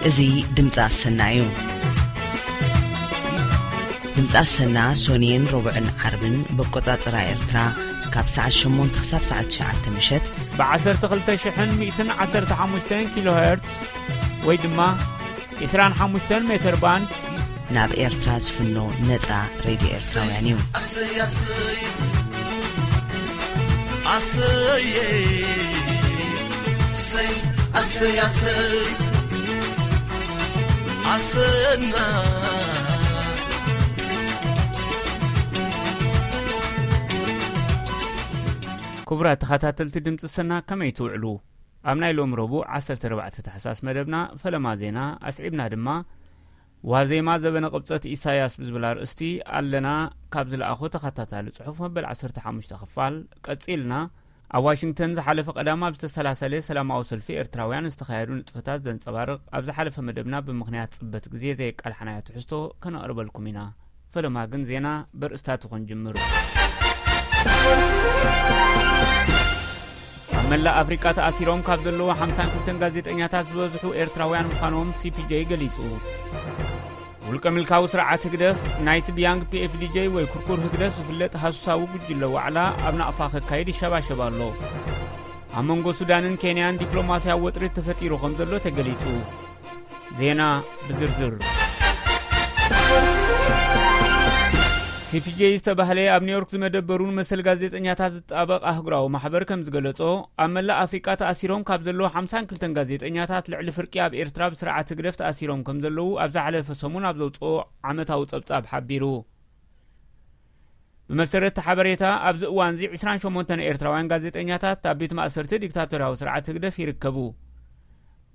እዚ ድምፂ ኣሰና እዩ። ድምፂ ኣሰና ሶንየን ረቡዕን ዓርብን በቆፃፅራ ኤርትራ ካብ ሰዓት ሸሞንተ ክሳብ ሰዓት ትሽዓተ ምሸት ብ12,115 ኪሎ ሄርትስ ወይ ድማ 25 ሜትር ባንድ ናብ ኤርትራ ዝፍኖ ነፃ ሬድዮ ኤርትራውያን እዩ። ኣሰይ ኣሰይ ኣሰይ ኣሰይ ኣሰይ ኣሰይ ኣሰይ ኣሰና። ክቡራት ተኸታተልቲ ድምፂ ሰና፣ ከመይ ትውዕሉ? ኣብ ናይ ሎም ረቡዕ ዓሰርተ ኣርባዕተ ታሕሳስ መደብና ፈለማ ዜና ኣስዒብና ድማ ዋዜማ ዘበነ ቅብጸት ኢሳያስ ብዝብል ኣርእስቲ ኣለና ካብ ዝለኣኾ ተኸታታሊ ጽሑፍ መበል ዓሰርተ ሓሙሽተ ክፋል ቀጺልና፣ ኣብ ዋሽንግተን ዝሓለፈ ቀዳም ኣብ ዝተሰላሰለ ሰላማዊ ሰልፊ ኤርትራውያን ዝተኻየዱ ንጥፈታት ዘንጸባርቕ ኣብ ዝሓለፈ መደብና ብምኽንያት ጽበት ግዜ ዘየቃልሓናዮ ትሕዝቶ ከነቕርበልኩም ኢና። ፈለማ ግን ዜና በርእስታቱ ክንጅምር። ኣብ መላእ ኣፍሪቃ ተኣሲሮም ካብ ዘለዉ ሓምሳን ክልተን ጋዜጠኛታት ዝበዝሑ ኤርትራውያን ምዃኖም ሲ ፒ ጄ ገሊጹ። ውልቀ ምልካዊ ስርዓት ህግደፍ ናይቲ ብያንግ ፒ ኤፍ ዲ ጄ ወይ ኩርኩር ህግደፍ ዝፍለጥ ሃሱሳዊ ጉጅለ ዋዕላ ኣብ ናቕፋ ከካይድ ይሸባሸብ ኣሎ። ኣብ መንጎ ሱዳንን ኬንያን ዲፕሎማስያዊ ወጥሪ ተፈጢሩ ከም ዘሎ ተገሊጹ። ዜና ብዝርዝር። ሲ ፒ ጄ ዝተባህለ ኣብ ኒውዮርክ ዝመደበሩን መሰል ጋዜጠኛታት ዝጣበቕ ኣህጉራዊ ማሕበር ከም ዝገለጾ፣ ኣብ መላእ ኣፍሪቃ ተኣሲሮም ካብ ዘለዉ ሓምሳን ክልተን ጋዜጠኛታት ልዕሊ ፍርቂ ኣብ ኤርትራ ብስርዓት ህግደፍ ተኣሲሮም ከም ዘለዉ ኣብ ዝሓለፈ ሰሙን ኣብ ዘውጽኦ ዓመታዊ ጸብጻብ ሓቢሩ። ብመሰረት እቲ ሓበሬታ፣ ኣብዚ እዋንዚ ዕስራን ሸሞንተን ኤርትራውያን ጋዜጠኛታት ኣብ ቤት ማእሰርቲ ዲክታቶርያዊ ስርዓት ህግደፍ ይርከቡ።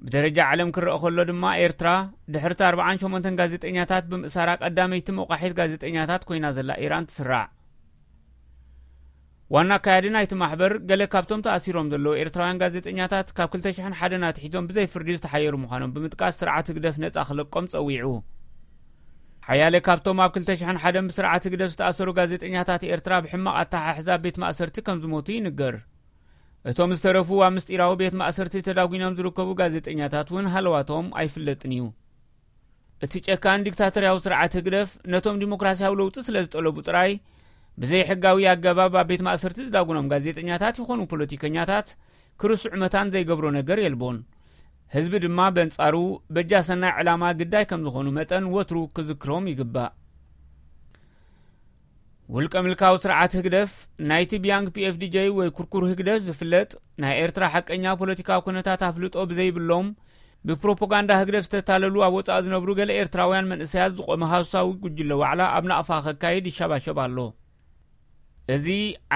ብደረጃ ዓለም ክረኣ ከሎ ድማ፣ ኤርትራ ድሕርቲ ኣርባዓን ሸሞንተን ጋዜጠኛታት ብምእሳራ ቀዳመይቲ መቋሒት ጋዜጠኛታት ኮይና ዘላ ኢራን ትስራዕ። ዋና ኣካያዲ ናይቲ ማሕበር፣ ገለ ካብቶም ተኣሲሮም ዘለዉ ኤርትራውያን ጋዜጠኛታት ካብ ክልተ ሽሕን ሓደን ኣትሒዞም ብዘይ ፍርዲ ዝተሓየሩ ምዃኖም ብምጥቃስ፣ ስርዓት ህግደፍ ነጻ ክለቆም ጸዊዑ። ሓያለ ካብቶም ኣብ ክልተ ሽሕን ሓደን ብስርዓት ህግደፍ ዝተኣሰሩ ጋዜጠኛታት ኤርትራ ብሕማቕ ኣተሓሕዛ ቤት ማእሰርቲ ከም ዝሞቱ ይንገር። እቶም ዝተረፉ ኣብ ምስጢራዊ ቤት ማእሰርቲ ተዳጒኖም ዝርከቡ ጋዜጠኛታት እውን ሃለዋቶም ኣይፍለጥን እዩ። እቲ ጨካን ዲክታቶርያዊ ስርዓት ህግደፍ ነቶም ዲሞክራስያዊ ለውጢ ስለ ዝጠለቡ ጥራይ ብዘይ ሕጋዊ ኣገባብ ኣብ ቤት ማእሰርቲ ዝዳጉኖም ጋዜጠኛታት ይኾኑ ፖለቲከኛታት ክርስዑ መታን ዘይገብሮ ነገር የልቦን። ህዝቢ ድማ በንጻሩ በጃ ሰናይ ዕላማ ግዳይ ከም ዝኾኑ መጠን ወትሩ ክዝክሮም ይግባእ። ውልቀ ምልካዊ ስርዓት ህግደፍ፣ ናይቲ ብያንግ ፒ ኤፍ ዲ ጄ ወይ ኩርኩር ህግደፍ ዝፍለጥ፣ ናይ ኤርትራ ሓቀኛ ፖለቲካዊ ኩነታት ኣፍልጦ ብዘይብሎም፣ ብፕሮፓጋንዳ ህግደፍ ዝተታለሉ ኣብ ወጻኢ ዝነብሩ ገለ ኤርትራውያን መንእሰያት ዝቖመ ሃሱሳዊ ጉጅለ ዋዕላ ኣብ ናቕፋ ከካይድ ይሸባሸብ ኣሎ። እዚ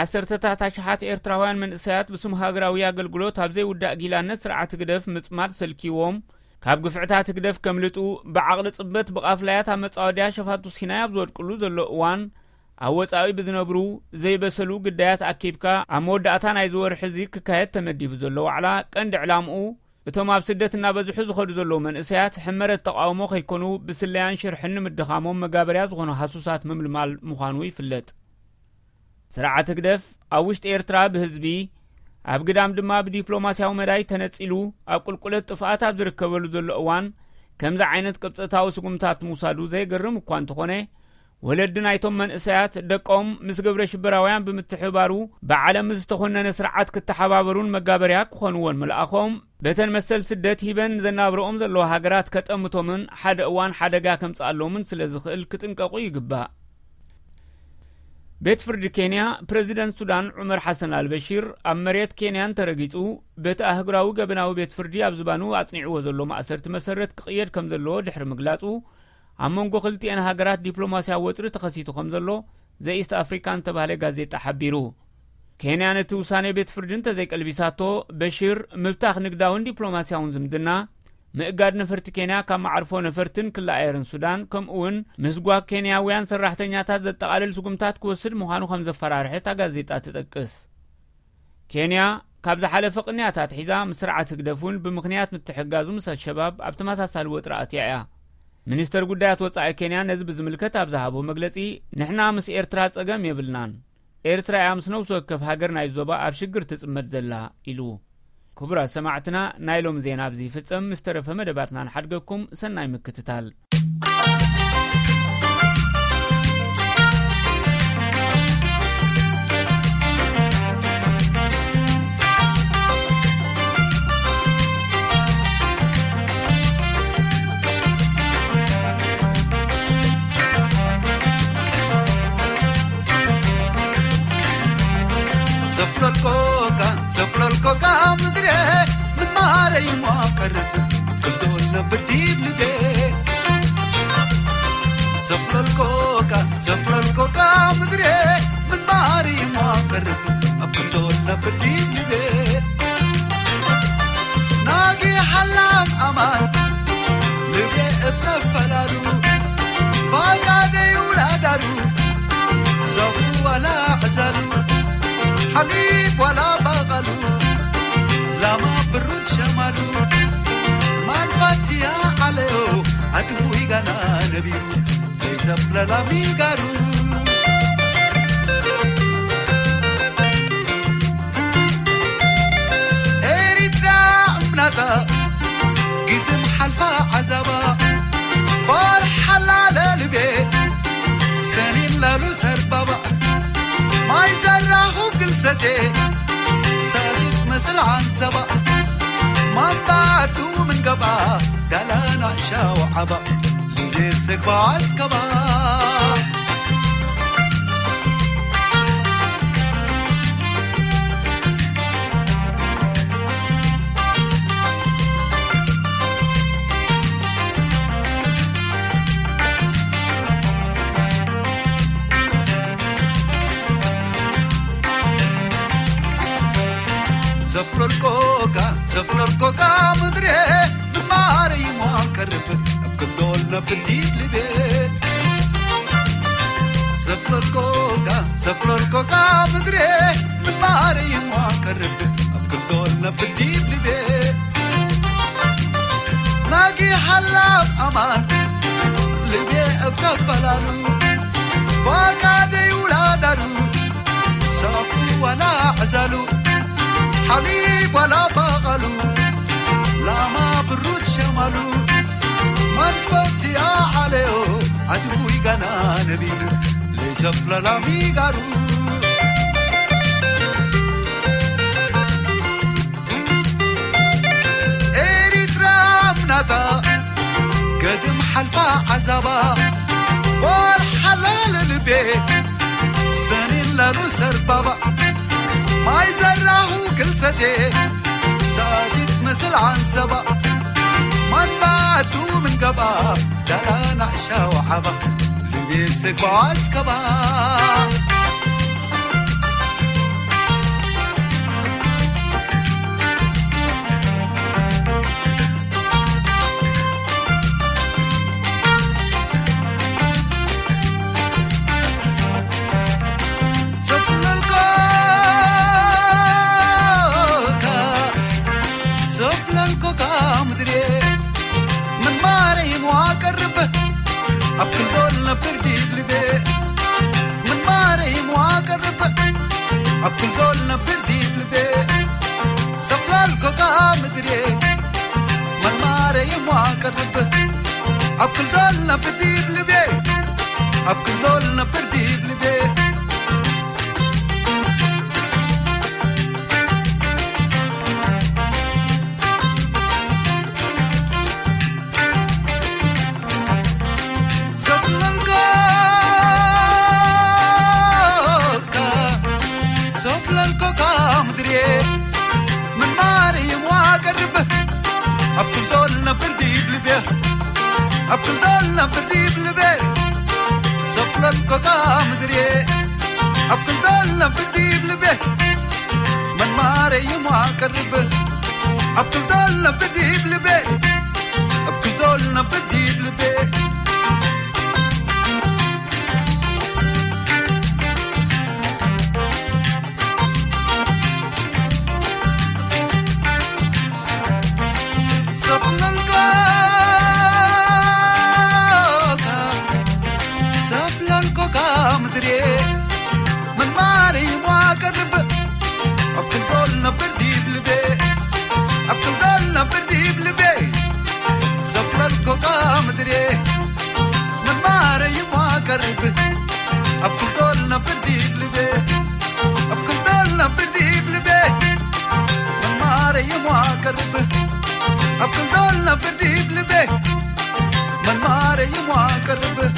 ዓሰርተታት ኣሽሓት ኤርትራውያን መንእሰያት ብስም ሃገራዊ ኣገልግሎት ኣብ ዘይውዳእ ጊላነት ስርዓት ህግደፍ ምጽማድ ሰልኪዎም፣ ካብ ግፍዕታት ህግደፍ ከምልጡ፣ ብዓቕሊ ጽበት ብቓፍላያት ኣብ መጻወድያ ሸፋቱ ሲናይ ኣብ ዝወድቅሉ ዘሎ እዋን፣ ኣብ ወጻኢ ብዝነብሩ ዘይበሰሉ ግዳያት ኣኪብካ፣ ኣብ መወዳእታ ናይዚ ወርሒ እዚ ክካየድ ተመዲቡ ዘሎ ዋዕላ ቀንዲ ዕላምኡ፣ እቶም ኣብ ስደት እናበዝሑ ዝኸዱ ዘለዉ መንእሰያት ሕመረት ተቓውሞ ከይኮኑ፣ ብስለያን ሽርሕን ንምድኻሞም መጋበርያ ዝኾኑ ሃሱሳት ምምልማል ምዃኑ ይፍለጥ። ስርዓት ህግደፍ ኣብ ውሽጢ ኤርትራ ብህዝቢ፣ ኣብ ግዳም ድማ ብዲፕሎማስያዊ መዳይ ተነጺሉ፣ ኣብ ቁልቁለት ጥፍኣት ኣብ ዝርከበሉ ዘሎ እዋን፣ ከምዚ ዓይነት ቅብጸታዊ ስጉምታት ምውሳዱ ዘየገርም እኳ እንተኾነ፣ ወለዲ ናይቶም መንእሰያት ደቆም ምስ ግብረ ሽበራውያን ብምትሕብባሩ ብዓለም ዝተኾነነ ስርዓት ክተሓባበሩን መጋበርያ ክኾንዎን ምልኣኾም፣ በተን መሰል ስደት ሂበን ዘናብረኦም ዘለዋ ሃገራት ከጠምቶምን ሓደ እዋን ሓደጋ ከምጽኣሎምን ስለ ዝኽእል ክጥንቀቑ ይግባእ። ቤት ፍርዲ ኬንያ፣ ፕረዚደንት ሱዳን ዑመር ሓሰን ኣልበሺር ኣብ መሬት ኬንያ እንተረጊጹ፣ በቲ ኣህጉራዊ ገበናዊ ቤት ፍርዲ ኣብ ዝባኑ ኣጽኒዕዎ ዘሎ ማእሰርቲ መሰረት ክቕየድ ከም ዘለዎ ድሕሪ ምግላጹ፣ ኣብ መንጎ ክልቲኤን ሃገራት ዲፕሎማስያዊ ወጥሪ ተኸሲቱ ከም ዘሎ ዘ ኢስት ኣፍሪካን ዝተባህለ ጋዜጣ ሓቢሩ። ኬንያ ነቲ ውሳኔ ቤት ፍርዲ እንተዘይቀልቢሳቶ፣ በሺር ምብታኽ ንግዳውን ዲፕሎማስያውን ዝምድና፣ ምእጋድ ነፈርቲ ኬንያ ካብ መዓርፎ ነፈርትን ክሊ ኣየርን ሱዳን፣ ከምኡ እውን ምስጓግ ኬንያውያን ሰራሕተኛታት ዘጠቓልል ስጉምታት ክወስድ ምዃኑ ከም ዘፈራርሐ እታ ጋዜጣ ትጠቅስ። ኬንያ ካብ ዝሓለፈ ቅንያት ኣትሒዛ ምስ ስርዓት ህግደፍ እውን ብምኽንያት ምትሕግጋዙ ምስ ኣልሸባብ ኣብ ተመሳሳሊ ወጥሪ ኣትያ እያ። ሚኒስተር ጉዳያት ወጻኢ ኬንያ ነዚ ብዝምልከት ኣብ ዝሃቦ መግለጺ፣ "ንሕና ምስ ኤርትራ ጸገም የብልናን። ኤርትራ እያ ምስ ነፍሲ ወከፍ ሃገር ናይ ዞባ ኣብ ሽግር ትጽመድ ዘላ" ኢሉ። ክቡራት ሰማዕትና፣ ናይ ሎም ዜና ኣብዚ ይፍጸም። ምስ ተረፈ መደባትና ንሓድገኩም። ሰናይ ምክትታል። ሰፍለልኮካ፣ ሰፍለልኮካ ምድሬ፣ ምማረይ ሞ ቀርብ፣ ክልዶል ነብር ዲብ ልቤ። ሰፍለልኮካ፣ ሰፍለልኮካ ምድሬ፣ ምማረይ ሞ ቀርብ፣ ኣብ ክልዶል ነብር ዲብ ልቤ። ናጊ ሓላም ኣማን፣ ልቤ እብ ሰፈላሉ፣ ፋቃደይ ውላዳሉ፣ ሰፉ ዋላ ዕዛሉ፣ ሓሊብ ዋላ ባቓሉ፣ ላማ ብሩድ ሸማሉ፣ ማንፋትያ ዓለዮ፣ ኣድሁ ይጋና ነቢሩ፣ ዘይሰፍለላ ሚጋሩ። ኤሪትራ እምናታ፣ ግድም ሓልፋ ዓዛባ፣ ፈርሓላ ለልቤ፣ ሰኒን ላሉ ሰርባባ፣ ማይ ዘራኹ ግልሰቴ፣ ሳሊት መስል ዓንሰባ፣ ማንባቱ ምን ገባ፣ ዳላና ሻው ዓባ። ልቤ ስግባ ኣስከባ። ሰፍለልኮካ፣ ሰፍለልኮካ ምድሬ፣ ምማረይ ሞ ቀርብ፣ ኣብ ክንዶል ነብር ዲብ ልቤ። ሰፍለልኮካ፣ ሰፍለልኮካ ምድሬ፣ ምማረይ ሞ ቀርብ፣ ኣብ ክንዶል ነብር ዲብ ልቤ። ናጊ ሓላፍ ኣማን፣ ልቤ ኣብ ሰፈላሉ፣ ፋቃደይ ውላዳሉ፣ ሳቁ ዋላ ዕዛሉ፣ ሓሊብ ዋላ ባቓሉ፣ ላማ ብሩድ ሸማሉ፣ መንፈትያ ዓለዮ፣ ኣድዊ ጋና ነቢሉ፣ ለይሰፍለላ ሚጋሩ። ኤሪትራ እምናታ፣ ገድም ሓልፋ ዓዛባ፣ ወርሓላ ለልቤ፣ ሰኒን ላሉ ሰርባባ፣ ማይ ዘራሁ ግልሰቴ፣ ሳዲት ምስል ዓንሰባ፣ ማንባቱ ምን ገባ፣ ዳላ ናዕሻ ወዓባ፣ ልቤ ስግባ ኣስከባ። ሰፍለልኮካ፣ ሰፍለልኮካ ምድሬ፣ ምን ማረይ ሞ ቀርብ፣ ኣብ ክልዶል ነብር ዲብ ልቤ። ምን ማረይ ሞ ቀርብ፣ ኣብ ክልዶል ነብር ዲብ ልቤ። ሰፍለልኮካ ምድሬ፣ ምን ማረይ ሞ ቀርብ፣ ኣብ ክልዶል ነብር ዲብ ልቤ። ኣብ ክልዶል ነብር ዲብ ልቤ። ሰፍለልኮካ፣ ሰፍለልኮካ ምድሬ፣ ምን ማርያም ዋቀርብ፣ ኣብ ክልዶል ነብር ዲብ ልቤ፣ ኣብ ክልዶል ነብር ዲብ ልቤ፣ ሰፍለልኮካ ምድሬ፣ ኣብ ክልዶል ነብር ዲብ ልቤ። መን ማረይ እሞ ኣቀርብ፣ ኣብ ክልዶል ነብር ዲብ ልቤ፣ ኣብ ክልዶል ነብር ዲብ ልቤ። ሰፍለልኮካ፣ ሰፍለልኮካ ምድሬ፣ ምን ማረይ እሞ ኣቀርብ፣ ኣብ ክልዶል ነብር ዲብ ልቤ፣ أبطل ضلنا في الديب لبيت من ماري يموا قرب.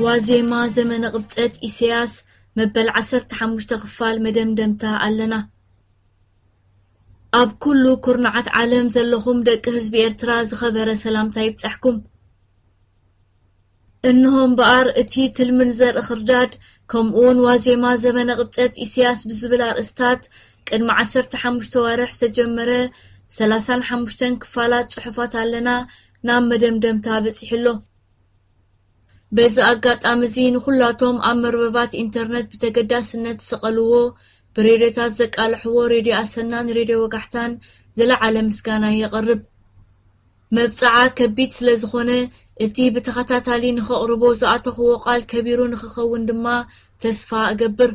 ዋዜማ ዘመነ ቅብጸት ኢሳያስ መበል ዓሰርተ ሓሙሽተ ክፋል መደምደምታ ኣለና። ኣብ ኩሉ ኩርናዓት ዓለም ዘለኹም ደቂ ህዝቢ ኤርትራ ዝኸበረ ሰላምታ ይብጻሕኩም። እንሆ እምበኣር እቲ ትልምን ዘርኢ ክርዳድ ከምኡውን ዋዜማ ዘመነ ቅብጸት ኢሳያስ ብዝብል ኣርእስታት ቅድሚ ዓሰርተ ሓሙሽተ ዋርሕ ዝተጀመረ ሰላሳን ሓሙሽተን ክፋላት ጽሑፋት ኣለና ናብ መደምደምታ በጺሑ ኣሎ። በዚ ኣጋጣሚ እዚ ንኹላቶም ኣብ መርበባት ኢንተርነት ብተገዳስነት ዝሰቐልዎ፣ ብሬድዮታት ዘቃልሕዎ ሬድዮ ኣሰናን ሬድዮ ወጋሕታን ዝለዓለ ምስጋና የቕርብ። መብጽዓ ከቢድ ስለ ዝኾነ፣ እቲ ብተኸታታሊ ንኸቕርቦ ዝኣተኽዎ ቃል ከቢሩ ንኽኸውን ድማ ተስፋ እገብር።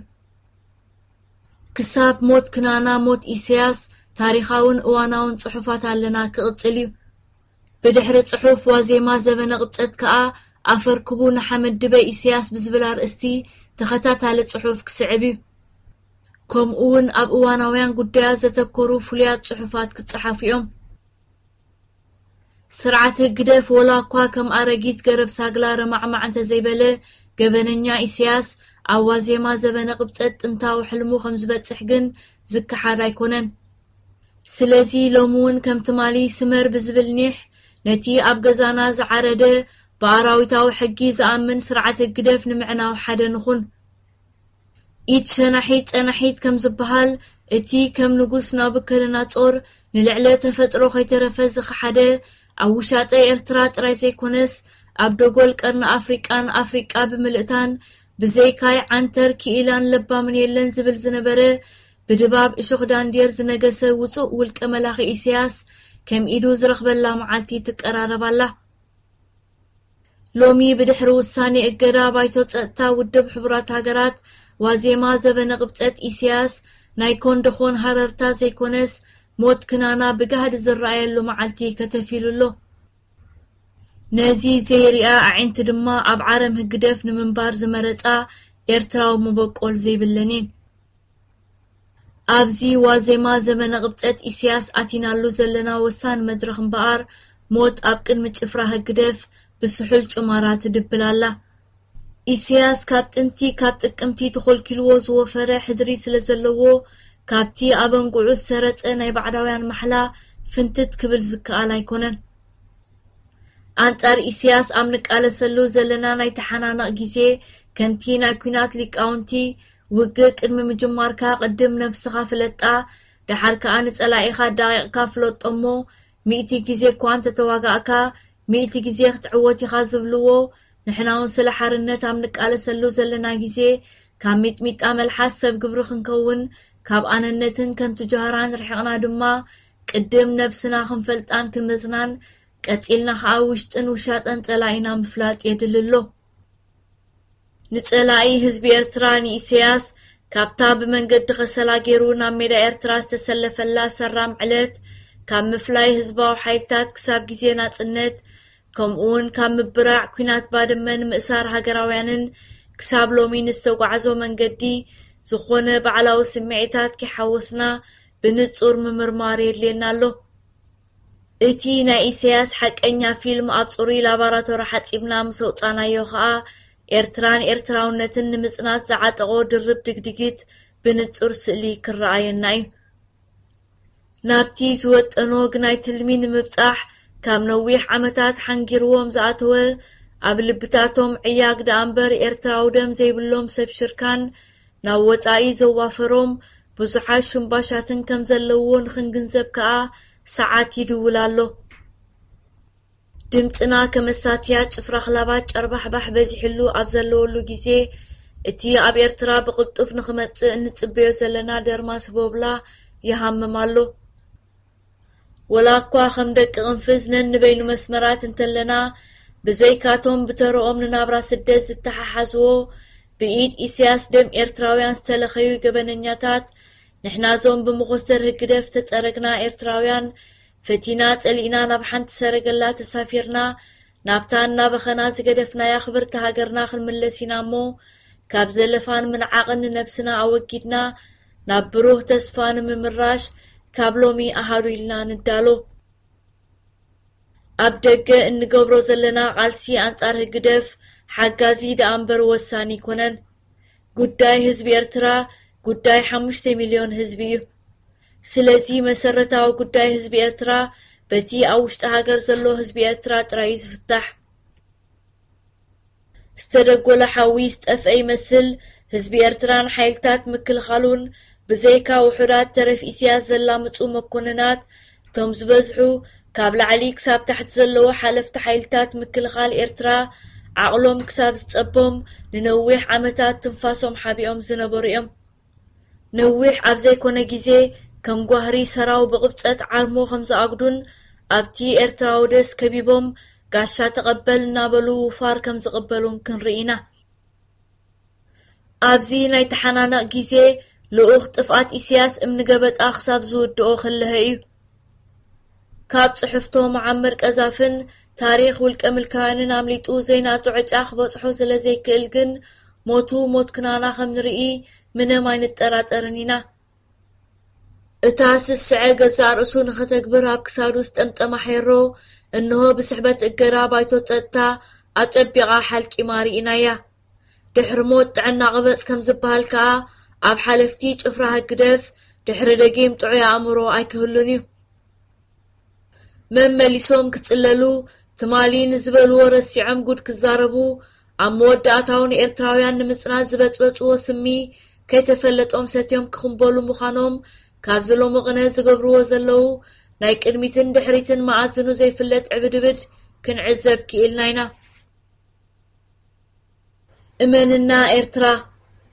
ክሳብ ሞት ክናና ሞት ኢሳያስ ታሪኻውን እዋናውን ጽሑፋት ኣለና ክቕጽል እዩ። ብድሕሪ ጽሑፍ ዋዜማ ዘበነ ቅብጸት ከኣ ኣፈርክቡ ንሓመድ ድበ ኢሳያስ ብዝብል ኣርእስቲ ተኸታታሊ ጽሑፍ ክስዕብ እዩ። ከምኡ እውን ኣብ እዋናውያን ጉዳያት ዘተኮሩ ፍሉያት ጽሑፋት ክጸሓፉ እዮም። ስርዓት ህግደፍ ወላ እኳ ከም ኣረጊት ገረብ ሳግላ ረማዕማዕ እንተዘይበለ፣ ገበነኛ ኢሳያስ ኣብ ዋዜማ ዘበነ ቅብጸት ጥንታዊ ሕልሙ ከም ዝበጽሕ ግን ዝከሓድ ኣይኮነን። ስለዚ ሎሚ እውን ከም ትማሊ ስመር ብዝብል ኒሕ ነቲ ኣብ ገዛና ዝዓረደ ብኣራዊታዊ ሕጊ ዝኣምን ስርዓት ህግደፍ ንምዕናው ሓደ ንኹን። ኢድ ሸናሒት ጸናሒት ከም ዝበሃል፣ እቲ ከም ንጉስ ናቡከደነጾር ንልዕለ ተፈጥሮ ከይተረፈ ዝኸሓደ፣ ኣብ ውሻጠ ኤርትራ ጥራይ ዘይኮነስ ኣብ ደጎል ቀርኒ ኣፍሪቃን ኣፍሪቃ ብምልእታን ብዘይካይ ዓንተር ክኢላን ለባምን የለን ዝብል ዝነበረ፣ ብድባብ እሾኽ ዳንዴር ዝነገሰ ውጹእ ውልቀ መላኺ ኢሳያስ ከም ኢዱ ዝረኽበላ መዓልቲ ትቀራረብ ኣላ። ሎሚ ብድሕሪ ውሳኔ እገዳ ባይቶ ጸጥታ ውድብ ሕቡራት ሃገራት፣ ዋዜማ ዘበነ ቅብጸት ኢሳያስ ናይ ኮንደኾን ሃረርታ ዘይኮነስ ሞት ክናና ብጋህዲ ዝረኣየሉ መዓልቲ ከተፊሉ ኣሎ። ነዚ ዘይሪኣ ኣዒንቲ ድማ ኣብ ዓረም ህግደፍ ንምንባር ዝመረጻ ኤርትራዊ መበቆል ዘይብለን እየን። ኣብዚ ዋዜማ ዘመነ ቅብጸት ኢሳያስ ኣቲናሉ ዘለና ወሳኒ መድረኽ እምበኣር፣ ሞት ኣብ ቅድሚ ጭፍራ ህግደፍ ብስሑል ጭማራ ትድብል ኣላ። ኢሳያስ ካብ ጥንቲ ካብ ጥቅምቲ ተኾልኪልዎ ዝወፈረ ሕድሪ ስለ ዘለዎ፣ ካብቲ ኣበንጉዑ ዝሰረጸ ናይ ባዕዳውያን ማሕላ ፍንትት ክብል ዝከኣል ኣይኮነን። ኣንጻር ኢሳያስ ኣብ ንቃለሰሉ ዘለና ናይ ተሓናነቕ ግዜ፣ ከምቲ ናይ ኲናት ሊቃውንቲ፣ ውግእ ቅድሚ ምጅማርካ ቅድም ነብስኻ ፍለጣ፣ ደሓር ከኣ ንጸላኢኻ ኣዳቒቕካ ፍለጦ እሞ፣ ሚእቲ ግዜ እኳ እንተተዋጋእካ፣ ሚእቲ ግዜ ክትዕወት ኢኻ ዝብልዎ፣ ንሕና እውን ስለ ሓርነት ኣብ ንቃለሰሉ ዘለና ግዜ፣ ካብ ሚጥሚጣ መልሓስ ሰብ ግብሪ ክንከውን፣ ካብ ኣነነትን ከንቱ ጃህራን ርሒቕና ድማ፣ ቅድም ነብስና ክንፈልጣን ክንመዝናን፣ ቀጺልና ኸኣ ውሽጥን ውሻጠን ጸላኢና ምፍላጥ የድሊ ኣሎ። ንጸላኢ ህዝቢ ኤርትራ ንኢሳያስ ካብታ ብመንገዲ ከሰላ ገይሩ ናብ ሜዳ ኤርትራ ዝተሰለፈላ ሰራም ዕለት፣ ካብ ምፍላይ ህዝባዊ ሓይልታት ክሳብ ግዜ ናጽነት፣ ከምኡውን ካብ ምብራዕ ኲናት ባድመን ምእሳር ሃገራውያንን ክሳብ ሎሚ ንዝተጓዕዞ መንገዲ፣ ዝኾነ ባዕላዊ ስምዒታት ከይሓወስና ብንጹር ምምርማር የድልየና ኣሎ። እቲ ናይ ኢሳያስ ሓቀኛ ፊልም ኣብ ጽሩይ ላባራቶሪ ሓጺብና ምስ ኣውጻናዮ ኸኣ፣ ኤርትራን ኤርትራውነትን ንምጽናት ዝዓጠቖ ድርብ ድግድጊት ብንጹር ስእሊ ክረኣየና እዩ። ናብቲ ዝወጠኖ ግናይ ትልሚ ንምብጻሕ፣ ካብ ነዊሕ ዓመታት ሓንጊርዎም ዝኣተወ፣ ኣብ ልብታቶም ዕያግ ደኣ እምበር ኤርትራዊ ደም ዘይብሎም ሰብ ሽርካን ናብ ወጻኢ ዘዋፈሮም ብዙሓት ሽምባሻትን ከም ዘለውዎ ንኽንግንዘብ ከኣ ሰዓት ይድውል ኣሎ። ድምጽና ከመሳትያ ጭፍራ ክላባት ጨርባሕባሕ በዚሕሉ ኣብ ዘለወሉ ግዜ፣ እቲ ኣብ ኤርትራ ብቕልጡፍ ንኽመጽእ እንጽበዮ ዘለና ደርማስ ቦብላ ይሃምም ኣሎ። ወላ እኳ ከም ደቂ ቅንፍዝ ነንበይኑ መስመራት እንተለና፣ ብዘይካቶም ብተረኦም ንናብራ ስደት ዝተሓሓዝዎ፣ ብኢድ ኢሳያስ ደም ኤርትራውያን ዝተለኸዩ ገበነኛታት፣ ንሕና ዞም ብመኾስተር ህግደፍ ተጸረግና ኤርትራውያን፣ ፈቲና ጸሊእና ናብ ሓንቲ ሰረገላ ተሳፊርና፣ ናብታ እናበኸና ዝገደፍናያ ክብርቲ ሃገርና ክንምለስ ኢና እሞ፣ ካብ ዘለፋን ምንዓቕን ንነብስና ኣወጊድና፣ ናብ ብሩህ ተስፋ ንምምራሽ፣ ካብ ሎሚ ኣሃዱ ኢልና ንዳሎ። ኣብ ደገ እንገብሮ ዘለና ቃልሲ ኣንጻር ህግደፍ ሓጋዚ ደኣ እምበር ወሳኒ ኣይኮነን። ጉዳይ ህዝቢ ኤርትራ ጉዳይ ሓሙሽተ ሚልዮን ህዝቢ እዩ። ስለዚ መሰረታዊ ጉዳይ ህዝቢ ኤርትራ በቲ ኣብ ውሽጢ ሃገር ዘሎ ህዝቢ ኤርትራ ጥራይ እዩ ዝፍታሕ። ዝተደጎለ ሓዊ ዝጠፍአ ይመስል። ህዝቢ ኤርትራን ሓይልታት ምክልኻሉን ብዘይካ ውሑዳት ተረፍ ኢሳያስ ዘላምጹ መኮንናት፣ እቶም ዝበዝሑ ካብ ላዕሊ ክሳብ ታሕቲ ዘለዉ ሓለፍቲ ሓይልታት ምክልኻል ኤርትራ ዓቕሎም ክሳብ ዝጸቦም ንነዊሕ ዓመታት ትንፋሶም ሓቢኦም ዝነበሩ እዮም። ነዊሕ ኣብ ዘይኮነ ግዜ ከም ጓህሪ ሰራው ብቕብጸት ዓርሞ ከም ዝኣጉዱን ኣብቲ ኤርትራዊ ደስ ከቢቦም ጋሻ ተቐበል እናበሉ ውፋር ከም ዝቕበሉን ክንርኢ ኢና። ኣብዚ ናይ ተሓናነቕ ግዜ ልኡኽ ጥፍኣት ኢሳያስ እምኒ ገበጣ ክሳብ ዝውድኦ ክልሀ እዩ። ካብ ጽሕፍቶ መዓመር ቀዛፍን ታሪኽ ውልቀ ምልካውያንን ኣምሊጡ ዘይናቱ ዕጫ ክበጽሖ ስለ ዘይክእል ግን ሞቱ ሞት ክናና ከም ንርኢ ምንም ኣይንጠራጠርን ኢና። እታ ስስዐ ገዛእ ርእሱ ንኸተግብር ኣብ ክሳዱ ዝጠምጠማ ሄሮ፣ እንሆ ብስሕበት እገዳ ባይቶ ጸጥታ ኣጸቢቓ ሓልቂማ ርኢናያ። ድሕሪ ሞት ጥዕና ቅበጽ ከም ዝበሃል ከኣ፣ ኣብ ሓለፍቲ ጭፍራ ህግደፍ ድሕሪ ደጊም ጥዑይ ኣእምሮ ኣይክህሉን እዩ። መመሊሶም ክጽለሉ፣ ትማሊ ንዝበልዎ ረሲዖም ጉድ ክዛረቡ፣ ኣብ መወዳእታኡ ንኤርትራውያን ንምጽናት ዝበጽበጽዎ ስሚ ከይተፈለጦም ሰትዮም ክኽንበሉ ምዃኖም፣ ካብዚ ሎሚ ቅነ ዝገብርዎ ዘለዉ ናይ ቅድሚትን ድሕሪትን መኣዝኑ ዘይፍለጥ ዕብድብድ ክንዕዘብ ክኢልና ኢና። እመንና ኤርትራ፣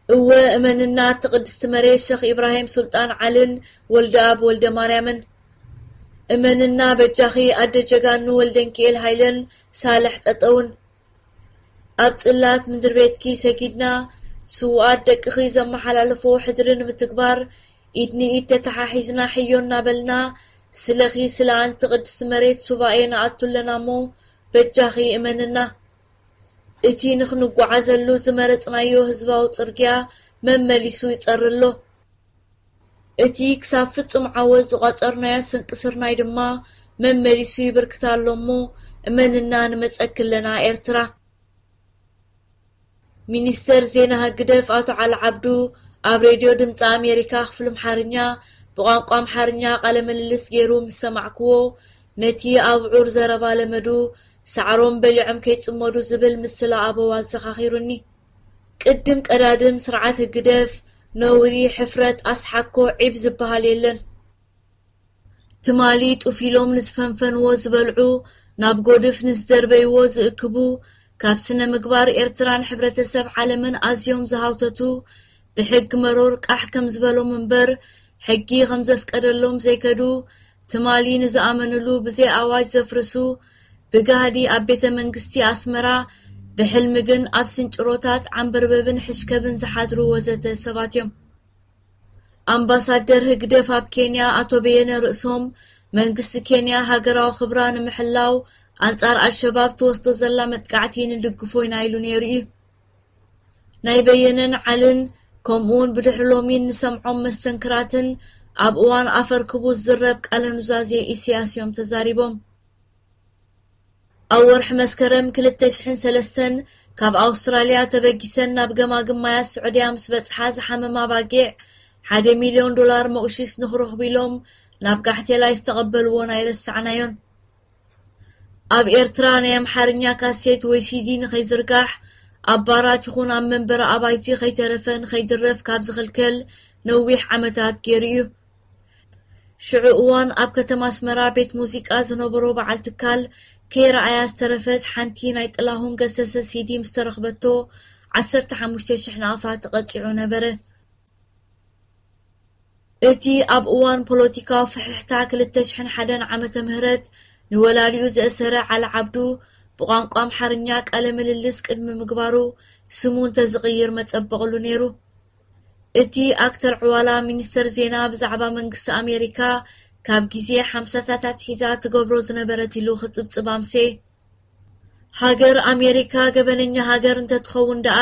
እወ እመንና እቲ ቅድስቲ መሬት ሸኽ ኢብራሂም ሱልጣን ዓልን ወልደኣብ ወልደማርያምን። እመንና በጃኺ ኣደ ጀጋኑ ወልደንኪኤል ሃይለን ሳልሕ ጠጠውን። ኣብ ጽላት ምድሪ ቤትኪ ሰጊድና፣ ስውኣት ደቅኺ ዘመሓላለፎ ሕድሪ ንምትግባር፣ ኢድ ንኢድ ተተሓሒዝና ሕዮ እናበልና፣ ስለኺ ስለ ኣንቲ ቅድስቲ መሬት ሱባኤ ንኣቱ ኣለና እሞ፣ በጃኺ እመንና። እቲ ንኽንጓዓዘሉ ዝመረጽናዮ ህዝባዊ ጽርግያ መመሊሱ ይጸሪ ኣሎ። እቲ ክሳብ ፍጹም ዓወት ዝቋጸርናዮ ስንቂ ስርናይ ድማ መመሊሱ ይብርክት ኣሎ እሞ፣ እመንና ንመጸኪ ኣለና ኤርትራ። ሚኒስተር ዜና ህግደፍ ኣቶ ዓሊ ዓብዱ ኣብ ሬድዮ ድምፂ ኣሜሪካ ክፍሊ ኣምሓርኛ ብቋንቋ ኣምሓርኛ ቃለ ምልልስ ገይሩ ምስ ሰማዕክዎ፣ ነቲ ኣብዑር ዘረባ ለመዱ፣ ሳዕሮም በሊዖም ከይጽመዱ ዝብል ምስላ ኣበው ኣዘኻኺሩኒ። ቅድም ቀዳድም ስርዓት ህግደፍ ነውሪ፣ ሕፍረት፣ ኣስሓኮ፣ ዒብ ዝበሃል የለን። ትማሊ ጡፍ ኢሎም ንዝፈንፈንዎ ዝበልዑ፣ ናብ ጎድፍ ንዝደርበይዎ ዝእክቡ፣ ካብ ስነ ምግባር ኤርትራን ሕብረተሰብ ዓለምን ኣዝዮም ዝሃውተቱ፣ ብሕጊ መሮር ቃሕ ከም ዝበሎም እምበር፣ ሕጊ ከም ዘፍቀደሎም ዘይከዱ፣ ትማሊ ንዝኣመንሉ ብዘይ ኣዋጅ ዘፍርሱ፣ ብጋህዲ ኣብ ቤተ መንግስቲ ኣስመራ፣ ብሕልሚ ግን ኣብ ስንጭሮታት ዓንበርበብን ሕሽከብን ዝሓድሩ ወዘተ ሰባት እዮም። ኣምባሳደር ህግደፍ ኣብ ኬንያ ኣቶ በየነ ርእሶም፣ መንግስቲ ኬንያ ሃገራዊ ክብራ ንምሕላው ኣንጻር ኣልሸባብ ትወስዶ ዘላ መጥቃዕቲ ንድግፎ ኢና ኢሉ ነይሩ እዩ። ናይ በየነን ዓልን ከምኡውን ብድሕሪ ሎሚ እንሰምዖም መስተንክራትን ኣብ እዋን ኣፈርክቡ ዝዝረብ ቃለ ኑዛዜ ኢሳያስ እዮም ተዛሪቦም። ኣብ ወርሒ መስከረም ክልተ ሽሕን ሰለስተን ካብ ኣውስትራልያ ተበጊሰን ናብ ገማግም ማያት ስዑድያ ምስ በጽሓ ዝሓመማ ባጊዕ ሓደ ሚልዮን ዶላር መቑሺስ ንኽረኽቡ ኢሎም ናብ ጋሕቴላይ ዝተቐበልዎን ኣይረሳዕናዮን። ኣብ ኤርትራ ናይ ኣምሓርኛ ካሴት ወይ ሲዲ ንኸይዝርጋሕ ኣብ ባራት ይኹን ኣብ መንበሪ ኣባይቲ ከይተረፈ ንኸይድረፍ ካብ ዝኽልከል ነዊሕ ዓመታት ገይሩ እዩ። ሽዑ እዋን ኣብ ከተማ ኣስመራ ቤት ሙዚቃ ዝነበሮ በዓል ትካል ከይረኣያ ዝተረፈት ሓንቲ ናይ ጥላሁን ገሰሰ ሲዲ ምስ ተረኽበቶ ዓሰርተ ሓሙሽተ ሽሕ ናቕፋ ተቐጺዑ ነበረ። እቲ ኣብ እዋን ፖለቲካዊ ፍሕሕታ ክልተ ሽሕን ሓደን ዓመተ ምህረት ንወላዲኡ ዘእሰረ ዓሊ ዓብዱ ብቋንቋ ኣምሓርኛ ቃለ ምልልስ ቅድሚ ምግባሩ ስሙ እንተዝቕይር መጸበቕሉ ነይሩ። እቲ ኣክተር ዕዋላ ሚኒስተር ዜና ብዛዕባ መንግስቲ ኣሜሪካ ካብ ግዜ ሓምሳታት ኣትሒዛ ትገብሮ ዝነበረት ኢሉ ክጽብጽብ ኣምሴ። ሃገር ኣሜሪካ ገበነኛ ሃገር እንተትኸውን ደኣ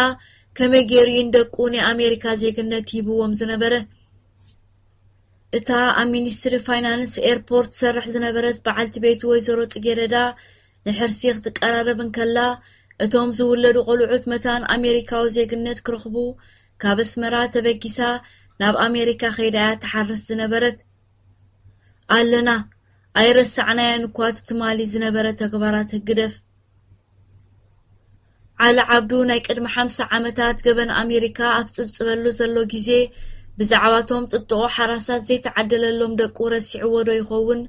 ከመይ ገይሩ እዩ ንደቁ ናይ ኣሜሪካ ዜግነት ሂብዎም ዝነበረ? እታ ኣብ ሚኒስትሪ ፋይናንስ ኤርፖርት ትሰርሕ ዝነበረት በዓልቲ ቤቱ ወይዘሮ ጽጌረዳ ንሕርሲ ክትቀራረብ እንከላ፣ እቶም ዝውለዱ ቆልዑት መታን ኣሜሪካዊ ዜግነት ክረኽቡ ካብ ኣስመራ ተበጊሳ ናብ ኣሜሪካ ከይዳ እያ ትሓርስ ዝነበረት። ኣለና፣ ኣይረሳዕናያን እኳ እቲ ትማሊ ዝነበረ ተግባራት ህግደፍ። ዓሊ ዓብዱ ናይ ቅድሚ ሓምሳ ዓመታት ገበን ኣሜሪካ ኣብ ዝጽብጽበሉ ዘሎ ግዜ፣ ብዛዕባቶም ጥጥቖ ሓራሳት ዘይተዓደለሎም ደቁ ረሲዕዎ ዶ ይኸውን?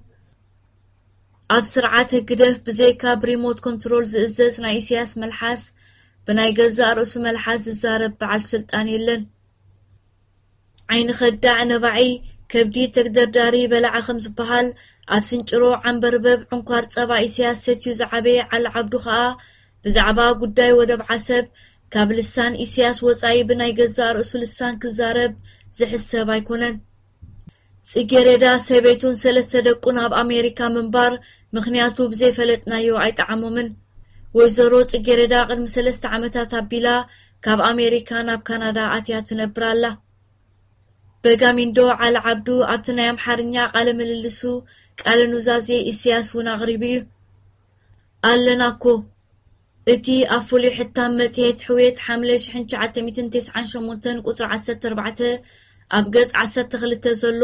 ኣብ ስርዓት ህግደፍ ብዘይካ ብሪሞት ኮንትሮል ዝእዘዝ ናይ ኢሳያስ መልሓስ፣ ብናይ ገዛእ ርእሱ መልሓስ ዝዛረብ በዓል ስልጣን የለን። ዓይኒ ከዳዕ ነባዒ፣ ከብዲ ተግደርዳሪ በላዒ ከም ዝበሃል፣ ኣብ ስንጭሮ ዓንበርበብ ዕንኳር ጸባ ኢሳያስ ሰትዩ ዝዓበየ ዓሊ ዓብዱ ኸኣ፣ ብዛዕባ ጉዳይ ወደብ ዓሰብ፣ ካብ ልሳን ኢሳያስ ወጻኢ ብናይ ገዛእ ርእሱ ልሳን ክዛረብ ዝሕሰብ ኣይኮነን። ጽጌሬዳ ሰበይቱን ሰለስተ ደቁን ኣብ ኣሜሪካ ምንባር ምኽንያቱ ብዘይፈለጥናዮ ኣይጠዓሞምን። ወይዘሮ ጽጌሬዳ ቅድሚ ሰለስተ ዓመታት ኣቢላ ካብ ኣሜሪካ ናብ ካናዳ ኣትያ ትነብር ኣላ። በጋሚንዶ ዓሊ ዓብዱ ኣብቲ ናይ ኣምሓርኛ ቃለ ምልልሱ ቃለ ኑዛዜ ኢሳያስ እውን ኣቕሪቡ እዩ። ኣለና እኮ። እቲ ኣብ ፍሉይ ሕታም መጽሔት ሕውየት ሓምለ ሽሕን ትሽዓተ ሚእትን ተስዓን ሸሞንተን ቁጽሪ ዓሰርተ ኣርባዕተ ኣብ ገጽ ዓሰርተ ክልተ ዘሎ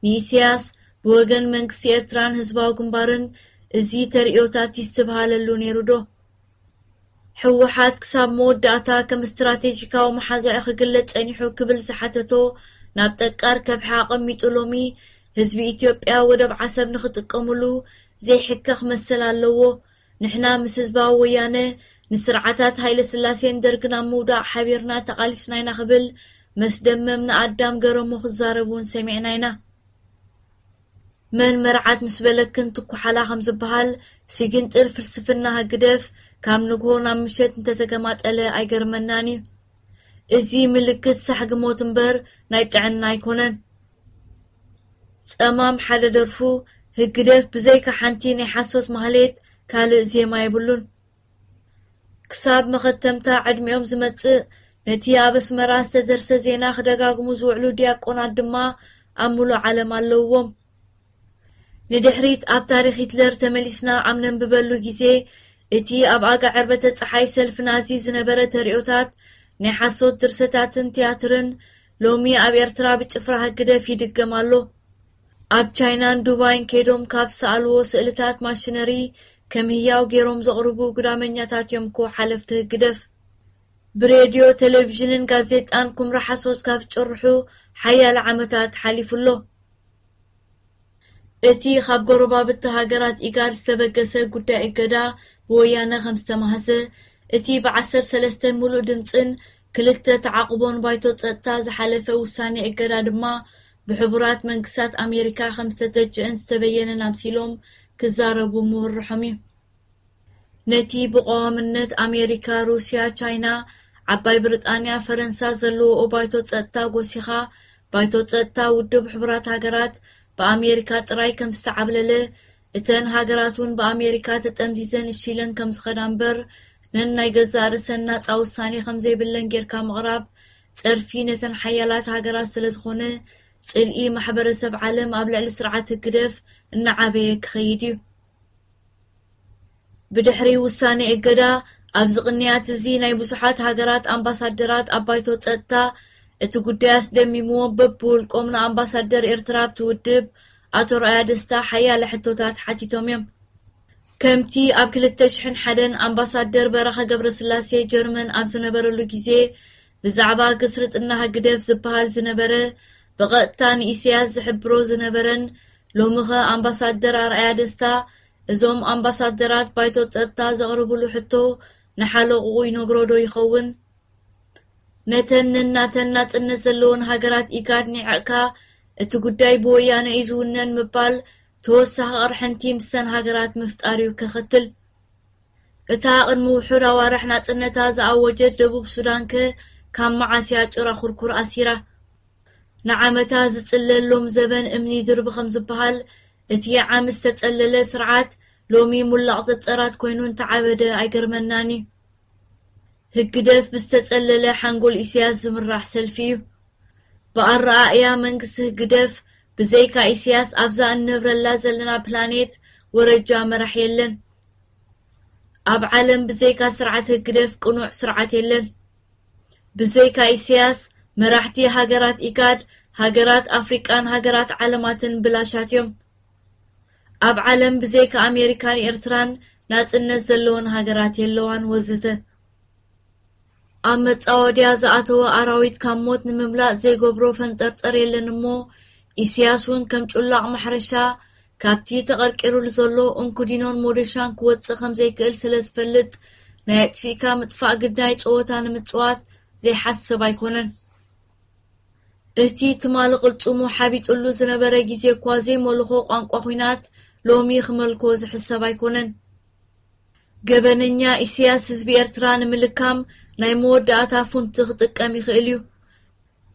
ንኢሳያስ ብወገን መንግስቲ ኤርትራን ህዝባዊ ግንባርን እዚ ተርእዮታት ይስትብሃለሉ ነይሩ ዶ? ህወሓት ክሳብ መወዳእታ ከም ስትራቴጂካዊ መሓዛኡ ክግለጽ ጸኒሑ ክብል ዝሓተቶ ናብ ጠቃር ከብሒ ኣቐሚጡ ሎሚ ህዝቢ ኢትዮጵያ ወደብ ዓሰብ ንኽጥቀሙሉ ዘይሕከኽ መሰል ኣለዎ። ንሕና ምስ ህዝባዊ ወያነ ንስርዓታት ሃይለ ስላሴን ደርግን ኣብ ምውዳቕ ሓቢርና ተቓሊስና ኢና ክብል መስደመም ንኣዳም ገረሙ ክዛረብ እውን ሰሚዕና ኢና። መን መርዓት ምስ በለክን ትኩሓላ ከም ዝበሃል፣ ሲግንጥር ፍልስፍና ህግደፍ ካብ ንግሆ ናብ ምሸት እንተተገማጠለ ኣይገርመናን እዩ። እዚ ምልክት ሳሕጊ ሞት እምበር ናይ ጥዕና ኣይኮነን። ጸማም ሓደ ደርፉ ህግደፍ ብዘይካ ሓንቲ ናይ ሓሶት ማህሌት ካልእ ዜማ የብሉን። ክሳብ መኸተምታ ዕድሚኦም ዝመጽእ፣ ነቲ ኣብ ኣስመራ ዝተደርሰ ዜና ክደጋግሙ ዝውዕሉ ዲያቆናት ድማ ኣብ ምሉእ ዓለም ኣለውዎም። ንድሕሪት ኣብ ታሪኽ ሂትለር ተመሊስና ኣብ ነንብበሉ ግዜ፣ እቲ ኣብ ኣጋ ዕርበተ ጸሓይ ሰልፊ ናዚ ዝነበረ ተርእዮታት፣ ናይ ሓሶት ድርሰታትን ትያትርን፣ ሎሚ ኣብ ኤርትራ ብጭፍራ ህግደፍ ይድገም ኣሎ። ኣብ ቻይናን ዱባይን ከይዶም ካብ ዝሰኣልዎ ስእልታት ማሽነሪ ከም ህያው ገይሮም ዘቕርቡ ግዳመኛታት እዮም እኮ ሓለፍቲ ህግደፍ። ብሬድዮ፣ ቴሌቪዥንን ጋዜጣን ኩምራ ሓሶት ካብ ዝጭርሑ ሓያለ ዓመታት ሓሊፉ ኣሎ። እቲ ካብ ጎረባብቲ ሃገራት ኢጋድ ዝተበገሰ ጉዳይ እገዳ ብወያነ ከም ዝተማህዘ፣ እቲ ብዓሰርተ ሰለስተ ምሉእ ድምጽን ክልተ ተዓቕቦን ባይቶ ጸጥታ ዝሓለፈ ውሳኔ እገዳ ድማ ብሕቡራት መንግስታት ኣሜሪካ ከም ዝተተችአን ዝተበየነን ኣምሲሎም ክዛረቡ ምውርሖም እዩ። ነቲ ብቐዋምነት ኣሜሪካ፣ ሩስያ፣ ቻይና፣ ዓባይ ብሪጣንያ፣ ፈረንሳ ዘለዎኦ ባይቶ ጸጥታ ጎሲኻ፣ ባይቶ ጸጥታ ውድብ ሕቡራት ሃገራት ብኣሜሪካ ጥራይ ከም ዝተዓብለለ፣ እተን ሃገራት እውን ብኣሜሪካ ተጠምዚዘን እሺለን ከም ዝኸዳ እምበር፣ ነን ናይ ገዛእ ርእሰን ናጻ ውሳኔ ከም ዘይብለን ጌርካ ምቕራብ፣ ጸርፊ ነተን ሓያላት ሃገራት ስለ ዝኾነ፣ ጽልኢ ማሕበረሰብ ዓለም ኣብ ልዕሊ ስርዓት ህግደፍ እናዓበየ ክኸይድ እዩ። ብድሕሪ ውሳኔ እገዳ፣ ኣብዚ ቅንያት እዚ ናይ ብዙሓት ሃገራት ኣምባሳደራት ኣብ ባይቶ ጸጥታ፣ እቲ ጉዳይ ኣስደሚምዎም በብውልቆም ንኣምባሳደር ኤርትራ ኣብቲ ውድብ ኣቶ ረኣያ ደስታ ሓያለ ሕቶታት ሓቲቶም እዮም። ከምቲ ኣብ ክልተ ሽሕን ሓደን ኣምባሳደር በረኸ ገብረስላሴ ጀርመን ኣብ ዝነበረሉ ግዜ ብዛዕባ ግስርጥና ህግደፍ ዝበሃል ዝነበረ ብቐጥታ ንኢሳያስ ዝሕብሮ ዝነበረን፣ ሎሚኸ ኣምባሳደር ኣርኣያ ደስታ እዞም ኣምባሳደራት ባይቶ ጸጥታ ዘቕርብሉ ሕቶ ንሓለቕኡ ይነግሮ ዶ ይኸውን? ነተን ነናተን ናጽነት ዘለወን ሃገራት ኢጋድ ኒዕቕካ እቲ ጉዳይ ብወያነ እዩ ዝውነን ምባል ተወሳኺ ቅርሕንቲ ምስተን ሃገራት ምፍጣር እዩ ከኸትል። እታ ቅድሚ ውሑድ ኣዋርሕ ናጽነታ ዝኣወጀት ደቡብ ሱዳንከ ካብ መዓስ እያ ጭራ ኩርኩር ኣሲራ? ንዓመታ ዝጽለል ሎም ዘበን እምኒ ድርቢ ከም ዝበሃል፣ እቲ ዓሚ ዝተጸለለ ስርዓት ሎሚ ሙላቕ ዘጸራት ኮይኑ እንተዓበደ ኣይገርመናን እዩ። ህግደፍ ብዝተጸለለ ሓንጎል ኢሳያስ ዝምራሕ ሰልፊ እዩ። ብኣረኣእያ መንግስቲ ህግደፍ ብዘይካ ኢሳያስ ኣብዛ እንነብረላ ዘለና ፕላኔት ወረጃ መራሕ የለን። ኣብ ዓለም ብዘይካ ስርዓት ህግደፍ ቅኑዕ ስርዓት የለን። ብዘይካ ኢሳያስ መራሕቲ ሃገራት ኢጋድ፣ ሃገራት ኣፍሪቃን ሃገራት ዓለማትን ብላሻት እዮም። ኣብ ዓለም ብዘይካ ኣሜሪካን ኤርትራን ናጽነት ዘለወን ሃገራት የለዋን ወዘተ። ኣብ መጻወድያ ዝኣተወ ኣራዊት ካብ ሞት ንምምላጥ ዘይገብሮ ፈንጠርጠር የለን እሞ፣ ኢሳያስ እውን ከም ጩላቕ ማሕረሻ ካብቲ ተቐርቂሩሉ ዘሎ እንኩዲኖን ሞደሻን ክወጽእ ከም ዘይክእል ስለ ዝፈልጥ፣ ናይ ኣጥፊእካ ምጥፋእ ግዳይ ጸወታ ንምጽዋት ዘይሓስብ ኣይኮነን። እቲ ትማሊ ቅልጽሙ ሓቢጥሉ ዝነበረ ግዜ እኳ ዘይመልኾ ቋንቋ ኲናት ሎሚ ክመልኮ ዝሕሰብ ኣይኮነን። ገበነኛ ኢሳያስ ህዝቢ ኤርትራ ንምልካም ናይ መወዳእታ ፉንቲ ክጥቀም ይኽእል እዩ።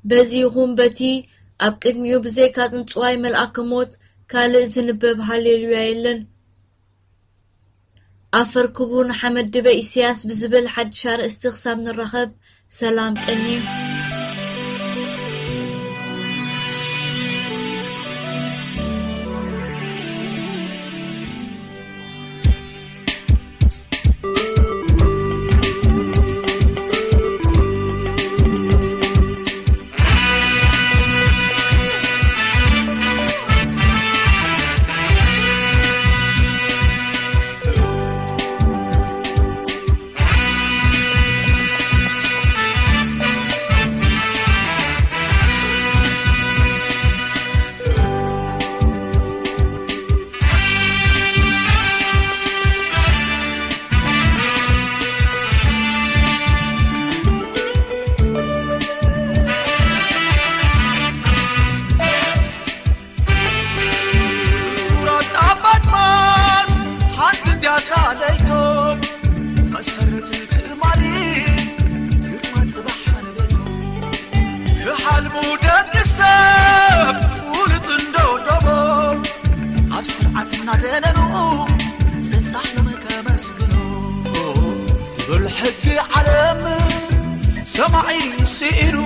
በዚ ይኹን በቲ ኣብ ቅድሚኡ ብዘይካ ጽንጽዋይ መልኣከ ሞት ካልእ ዝንበብ ሃሌሉያ የለን። ኣፈርክቡ ንሓመድ ድበ ኢሳያስ ብዝብል ሓድሽ ኣርእስቲ ክሳብ ንራኸብ ሰላም ቀንዩ። ኩራት ኣባት ማስ ሓንቲ እንዲያታ ለይቶም መሰረት ትእማሊ ግርማ ጽባሕ ሓንደቶም ክሓልሙ ደቂ ሰብ ፍሉጥ እንዶ ዶቦም ኣብ ስርዓት እናደነኑ ጽንጻሕ ዮም ከመስግኑ ዝብል ሕጊ ዓለም ሰማዒ ስኢኑ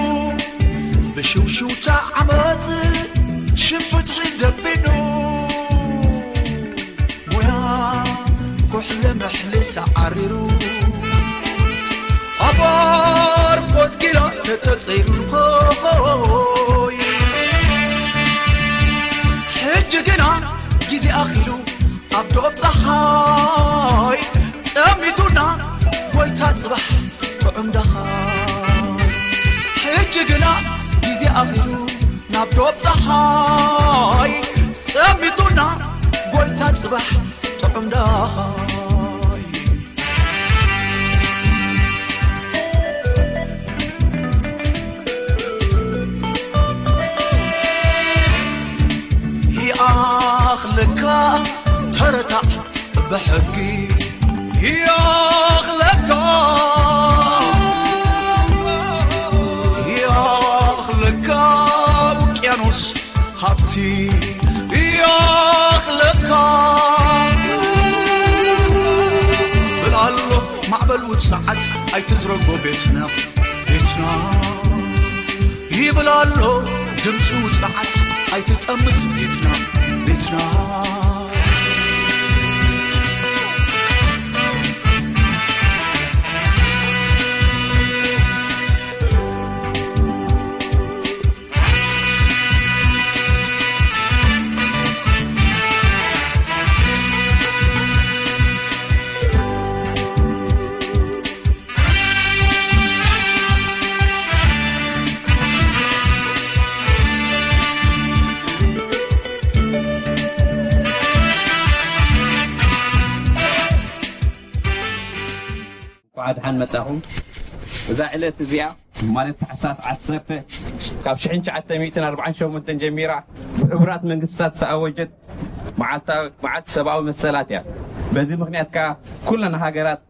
ብሽውሽውታ ዓመት ሽም ፍትሒ ደቢኑ ሞያ ኩሕለ ምሕሊ ሰዓሪሩ ኣባር ፎትኪላ ተተጸይሩ ሆይ ሕጂ ግና ግዜ ኣኺሉ ኣብ ዶብ ጸሓይ ጸሚቱና ጎይታ ጽባሕ ጥዑም ደኻይ ሕጂ ግና ግዜ ኣኺሉ ናብ ዶብ ጸሓይ ጸሚቱና ጎይታ ጽባሕ ጥዑም ደኻይ ይኣኽለካ ተረታዕ ብሕጊ ይኣኽለካ ይኣኽለካ ውቅያኖስ ሃብቲ ይኣኽለካ ብላሎ ማዕበል ውጽዓት ኣይትዝረጎ ቤትና ቤትና ይብል ኣሎ ድምፂ ውፅዓት ኣይትጠምት ቤትና ቤትና መጻኹም። እዛ ዕለት እዚኣ ማለት ታሕሳስ ዓሰርተ ካብ ሽሕን ትሽዓተ ሚእትን ኣርባዓን ሸሞንተን ጀሚራ ብሕቡራት መንግስታት ዝተኣወጀት መዓልታዊ መዓልቲ ሰብኣዊ መሰላት እያ። በዚ ምኽንያት ከኣ ኩለን ሃገራት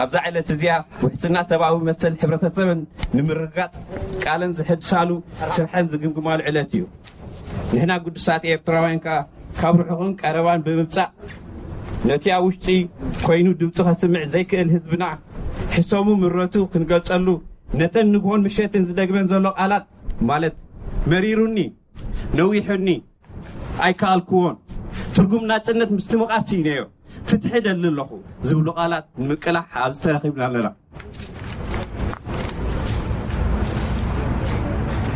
ኣብዛ ዕለት እዚኣ ውሕስና ሰብኣዊ መሰል ሕብረተሰብን ንምርግጋጽ ቃለን ዝሕድሳሉ ስርሐን ዝግምግማሉ ዕለት እዩ። ንሕና ግዱሳት ኤርትራውያን ከኣ ካብ ርሑቕን ቀረባን ብምምጻእ ነቲ ኣብ ውሽጢ ኮይኑ ድምፁ ከስምዕ ዘይክእል ህዝብና ሕሰሙ ምረቱ ክንገልጸሉ ነተን ንግሆን ምሸትን ዝደግመን ዘሎ ቃላት ማለት መሪሩኒ፣ ነዊሑኒ፣ ኣይከኣልክዎን፣ ትርጉም ናጽነት ምስትምቓር ስኢነዮ፣ ፍትሒ ደሊ ኣለኹ ዝብሉ ቃላት ንምቅላሕ ኣብዚ ተረኺብና ኣለና።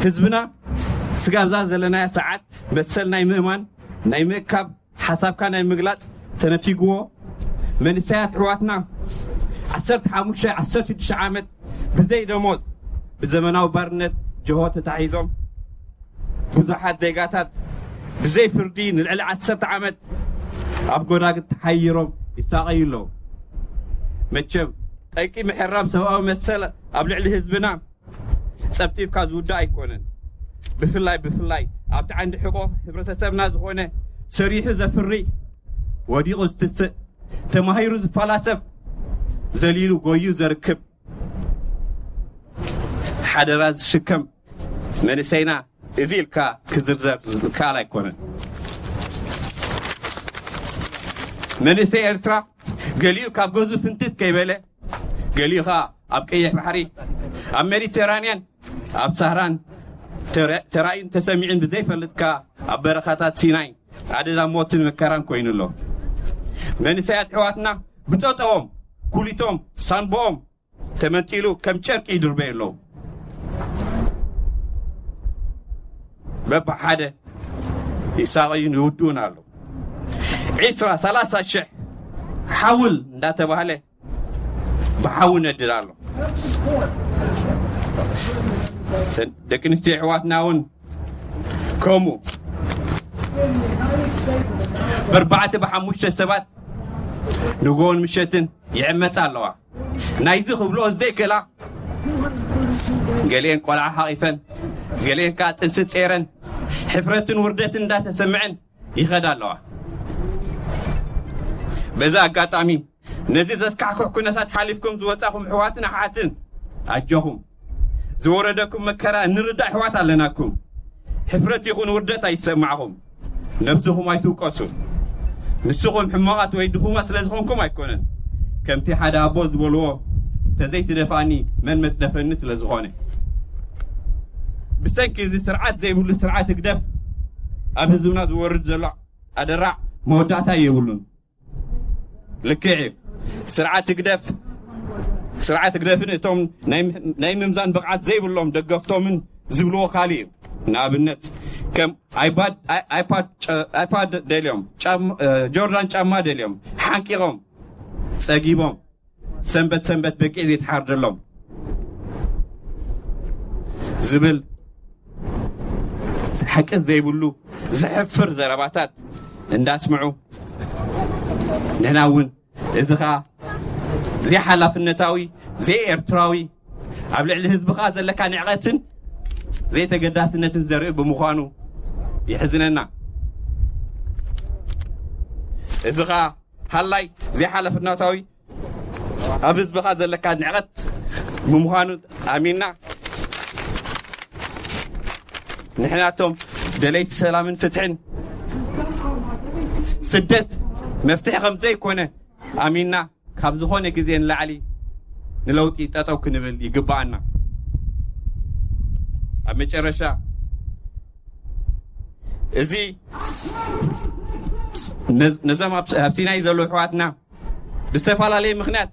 ህዝብና ስጋብዛ ዘለናያ ሰዓት መሰል ናይ ምእማን፣ ናይ ምእካብ፣ ሓሳብካ ናይ ምግላጽ ተነፊግዎ፣ መንእሰያት ኣሕዋትና ዓሰርተ ሓሙሽተ ዓሰርተ ሽዱሽተ ዓመት ብዘይ ደሞዝ ብዘመናዊ ባርነት ጀሆ ተታሒዞም፣ ብዙሓት ዜጋታት ብዘይ ፍርዲ ንልዕሊ ዓሰርተ ዓመት ኣብ ጎዳግት ተሓይሮም ይሳቐዩ ኣለዉ። መቸም ጠንቂ ምሕራም ሰብኣዊ መሰል ኣብ ልዕሊ ህዝብና ጸብጺብካ ዝውዳእ ኣይኮነን። ብፍላይ ብፍላይ ኣብቲ ዓንዲ ሕቆ ሕብረተሰብና ዝኾነ ሰሪሑ ዘፍሪ፣ ወዲቑ ዝትስእ፣ ተማሂሩ ዝፈላሰፍ፣ ዘሊሉ ጎዩ ዘርክብ፣ ሓደራ ዝሽከም መንእሰይና እዚ ኢልካ ክዝርዘር ዝከኣል ኣይኮነን። መንእሰይ ኤርትራ ገሊኡ ካብ ገዙ ፍንትት ከይበለ፣ ገሊኡ ኸኣ ኣብ ቀይሕ ባሕሪ፣ ኣብ ሜዲተራንያን፣ ኣብ ሳህራን ተረ-፣ ተራእዩን ተሰሚዑን ብዘይፈልጥ ከኣ ኣብ በረኻታት ሲናይ ኣደዳ ሞትን መከራን ኮይኑ ኣሎ። መንእሰያት ኣሕዋትና ብጠጠዎም፣ ኩሊቶም፣ ሳንቦኦም ተመንጢሉ ከም ጨርቂ ይድርበዩ ኣለዉ። በብሓደ ይሳቐዩን ይውድኡን ኣለዉ። ዒስራ ሰላሳ ሽሕ ሓውል እንዳተባህለ ብሓዊ ነድድ ኣሎ። ደቂ ኣንስትዮ ኣሕዋትና እውን ከምኡ ብኣርባዕተ ብሓሙሽተ ሰባት ንግሆን ምሸትን ይዕመጻ ኣለዋ። ናይዚ ክብልኦ ዘይክእላ፣ ገሊአን ቆልዓ ሓቒፈን፣ ገሊአን ከኣ ጥንሲ ጼረን፣ ሕፍረትን ውርደትን እንዳተሰምዐን ይኸዳ ኣለዋ። በዚ ኣጋጣሚ ነዚ ዘስካሕክሕ ኩነታት ሓሊፍኩም ዝወጻኹም ኣሕዋትን ኣሓትን ኣጆኹም። ዝወረደኩም መከራ እንርዳእ ኣሕዋት ኣለናኩም። ሕፍረት ይኹን ውርደት ኣይሰማዕኹም። ነብስኹም ኣይትውቀሱ። ንስኹም ሕማቓት ወይ ድኹማት ስለ ዝኾንኩም ኣይኮነን። ከምቲ ሓደ ኣቦ ዝበልዎ፣ "ተዘይትደፍኣኒ መን መጽደፈኒ?" ስለ ዝኾነ። ብሰንኪ እዚ ስርዓት ዘይብሉ ስርዓት ህግደፍ ኣብ ህዝብና ዝወርድ ዘሎ ኣደራዕ መወዳእታ የብሉን። ልክዕ እዩ። ስርዓት ህግደፍ፣ ስርዓት ህግደፍን እቶም ናይ፣ ናይ ምምዛን ብቕዓት ዘይብሎም ደገፍቶምን ዝብልዎ ካልእ እዩ። ንኣብነት ከም ኣይፓድ፣ ኣይ-፣ ኣይፓድ፣ ጨ-፣ ኣይፓድ ደልዮም፣ ጫማ፣ እ፣ ጆርዳን ጫማ ደልዮም፣ ሓንቂቖም፣ ጸጊቦም፣ ሰንበት ሰንበት በቂዕ ዘይተሓርደሎም ዝብል ሓቂ ዘይብሉ ዘሕፍር ዘረባታት እንዳስምዑ፣ ንሕና እውን እዚ ኸኣ ዘይሓላፍነታዊ፣ ዘይኤርትራዊ፣ ኣብ ልዕሊ ህዝቢ ኸኣ ዘለካ ንዕቐትን ዘይተገዳስነትን ዘርኢ ብምዃኑ የሕዝነና። እዚ ኸኣ ሃላይ ዘይሓላፍነታዊ፣ ኣብ ህዝብኻ ዘለካ ንዕቐት ብምዃኑ ኣሚንና፣ ንሕናቶም ደለይቲ ሰላምን ፍትሕን፣ ስደት መፍትሒ ከም ዘይኮነ ኣሚንና፣ ካብ ዝኾነ ግዜ ንላዕሊ ንለውጢ ጠጠው ክንብል ይግብኣና። ኣብ መጨረሻ፣ እዚ ነዝ-፣ ነዞም ኣብ፣ ኣብ ሲናይ ዘለዉ ኣሕዋትና ብዝተፈላለየ ምኽንያት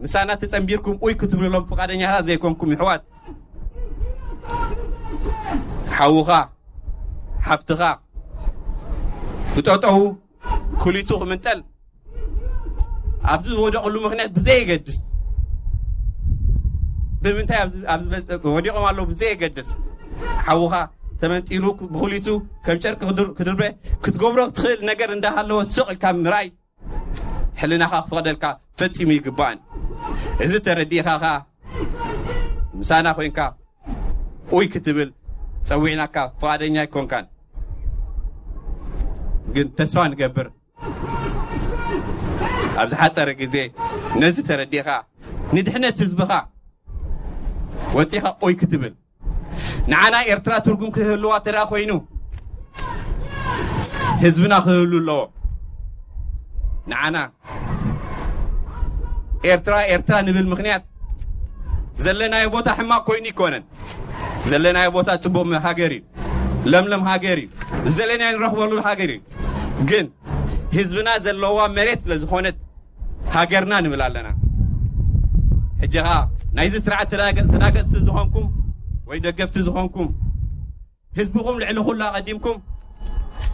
ምሳና ተጸንቢርኩም ኡይ ክትብልሎም ፍቓደኛታት ዘይኮንኩም ኣሕዋት፣ ሓውኻ፣ ሓፍትኻ ብጠጠዉ ኩሊቱ ክምንጠል ኣብዚ ዝወደቕሉ ምኽንያት ብዘየገድስ፣ ብምንታይ ኣብዚ፣ ኣብዚ ወዲቖም ኣለዉ ብዘየገድስ፣ ሓውኻ ተመንጢሉ ብኹሊቱ ከም ጨርቂ ክድር-፣ ክድርበ ክትገብሮ ትኽእል ነገር እንዳሃለወ ስቕ ኢልካ ምርኣይ ሕልናኻ ክፈቕደልካ ፈጺሙ ይግባእን። እዚ ተረዲእኻ ኸኣ ምሳና ኮይንካ ኡይ ክትብል ጸዊዕናካ ፍቓደኛ ኣይኮንካን። ግን ተስፋ ንገብር ኣብ ዝሓጸረ ግዜ ነዚ ተረዲእኻ ንድሕነት ህዝብኻ ወጺኻ ኡይ ክትብል። ንዓና ኤርትራ ትርጉም ክህልዋ ተደኣ ኮይኑ ህዝብና ክህሉ ኣለዎ። ንዓና ኤርትራ ኤርትራ ንብል ምኽንያት ዘለናዮ ቦታ ሕማቕ ኮይኑ ይኮነን። ዘለናዮ ቦታ ጽቡቕ ሃገር እዩ። ለምለም ሃገር እዩ። ዝደለናዮ ንረኽበሉ ሃገር እዩ። ግን ህዝብና ዘለዋ መሬት ስለ ዝኾነት ሃገርና ንብል ኣለና። ሕጂ ኸኣ ናይዚ ስርዓት ተናገ-፣ ተናገጽቲ ዝኾንኩም ወይ ደገፍቲ ዝኾንኩም ህዝብኹም ልዕሊ ኩሉ ኣቐዲምኩም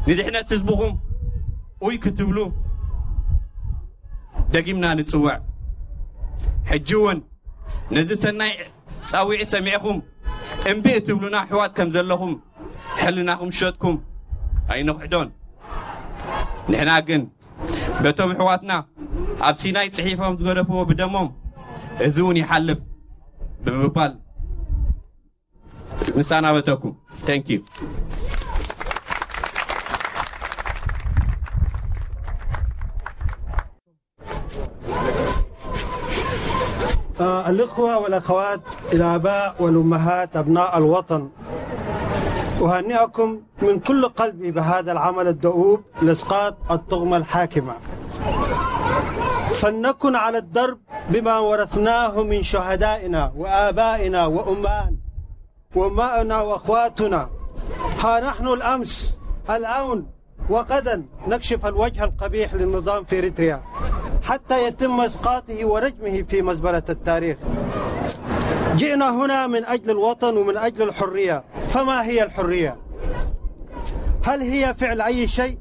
ንድሕነት ህዝብኹም ኡይ ክትብሉ ደጊምና ንጽውዕ። ሕጂ እውን ነዚ ሰናይ ጻውዒት ሰሚዕኹም እምቢ እትብሉና ኣሕዋት ከም ዘለኹም ሕልናኹም ሸጥኩም ኣይንኽሕዶን። ንሕና ግን በቶም ኣሕዋትና ኣብ ሲናይ ጽሒፎም ዝገደፍዎ ብደሞም እዚ እውን ይሓልፍ ብምባል ንሰናበተኩም። Thank you. آه، الإخوة والأخوات، الآباء والأمهات، أبناء الوطن، أهنئكم من كل قلبي بهذا العمل الدؤوب لإسقاط الطغمة الحاكمة. فلنكن على الدرب بما ورثناه من شهدائنا وآبائنا وأمان وأمائنا وأخواتنا. ها نحن الأمس، الآن، وغدا نكشف الوجه القبيح للنظام في إريتريا حتى يتم إسقاطه ورجمه في مزبلة التاريخ. جئنا هنا من أجل الوطن ومن أجل الحرية. فما هي الحرية؟ هل هي فعل أي شيء؟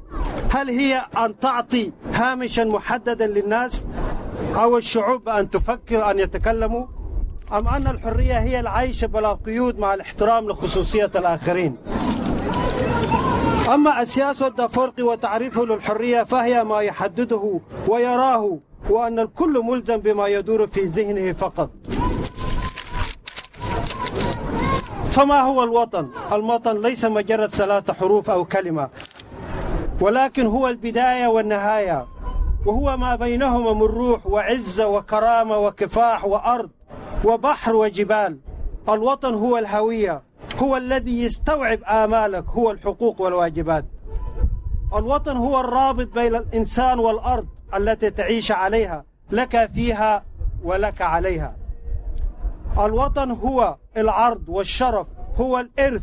هل هي أن تعطي هامشا محددا للناس أو الشعوب أن تفكر أن يتكلموا؟ أم أن الحرية هي العيش بلا قيود مع الاحترام لخصوصية الآخرين؟ أما أسياس الدافورقي وتعريفه للحرية فهي ما يحدده ويراه، وأن الكل ملزم بما يدور في ذهنه فقط. فما هو الوطن؟ الوطن ليس مجرد ثلاثة حروف أو كلمة، ولكن هو البداية والنهاية، وهو ما بينهما من روح وعزة وكرامة وكفاح وأرض وبحر وجبال. الوطن هو الهوية، هو الذي يستوعب آمالك، هو الحقوق والواجبات. الوطن هو الرابط بين الإنسان والأرض التي تعيش عليها، لك فيها ولك عليها. الوطن هو العرض والشرف، هو الإرث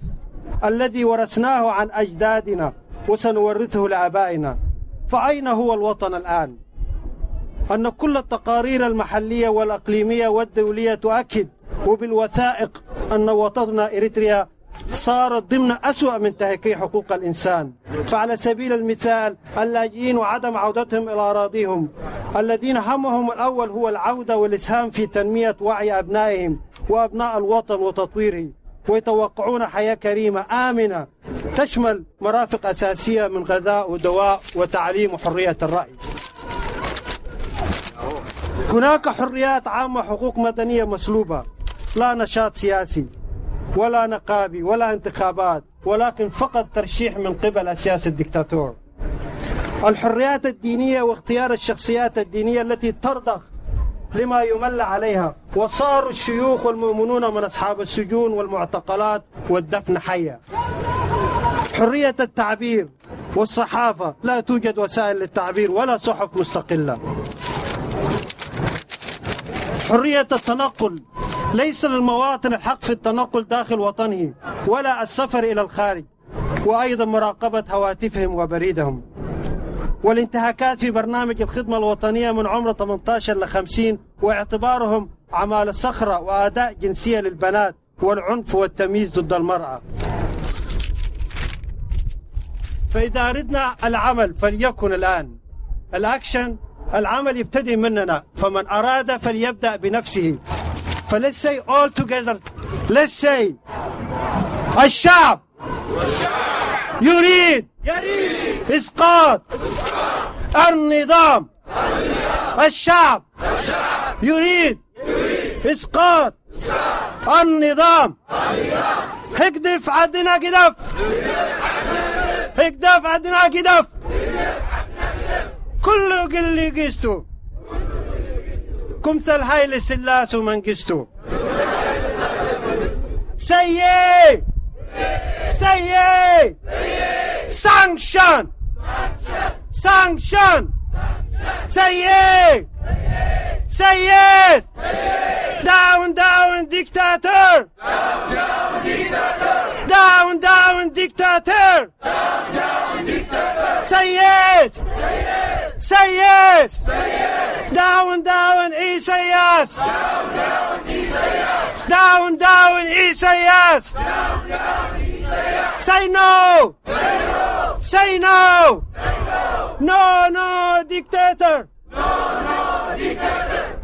الذي ورثناه عن أجدادنا وسنورثه لآبائنا. فأين هو الوطن الآن؟ أن كل التقارير المحلية والإقليمية والدولية تؤكد وبالوثائق أن وطننا إريتريا صارت ضمن أسوأ منتهكي حقوق الإنسان. فعلى سبيل المثال، اللاجئين وعدم عودتهم إلى أراضيهم، الذين همهم الأول هو العودة والإسهام في تنمية وعي أبنائهم وأبناء الوطن وتطويره، ويتوقعون حياة كريمة آمنة تشمل مرافق أساسية من غذاء ودواء وتعليم وحرية الرأي. هناك حريات عامة، حقوق مدنية مسلوبة، لا نشاط سياسي ولا نقابي ولا انتخابات، ولكن فقط ترشيح من قبل السياسي الدكتاتور. الحريات الدينية واختيار الشخصيات الدينية التي ترضخ لما يمل عليها، وصاروا الشيوخ والمؤمنون من أصحاب السجون والمعتقلات والدفن حيا. حرية التعبير والصحافة، لا توجد وسائل للتعبير ولا صحف مستقلة. حرية التنقل، ليس للمواطن الحق في التنقل داخل وطنه ولا السفر إلى الخارج، وأيضا مراقبة هواتفهم وبريدهم. والانتهاكات في برنامج الخدمة الوطنية من عمر ثمنتاشر إلى خمسين، واعتبارهم عمالة صخرة وأداة جنسية للبنات، والعنف والتمييز ضد المرأة. فإذا أردنا العمل فليكن الآن. الأكشن، العمل يبتدي مننا، فمن أراد فليبدأ بنفسه. ف let's say all together، let's say: الشعب يريد إسقاط النظام. الشعب يريد إسقاط النظام. ህግደፍ ዓድና ግደፍ! ህግደፍ ዓድና ግደፍ! ኩሉ ግሊ ግስቱ! ኩምተል ሃይለ ስላሱ መንግስቱ! ሰየ! ሰየ! ሳንክሽን! ሳንክሽን! ሰየ! ሰየ! Down, down, dictator! Down, down, dictator! Say yes! Say yes! Down, down, Isaias! Down, down, Isaias! Say no! Say no! No, no, dictator!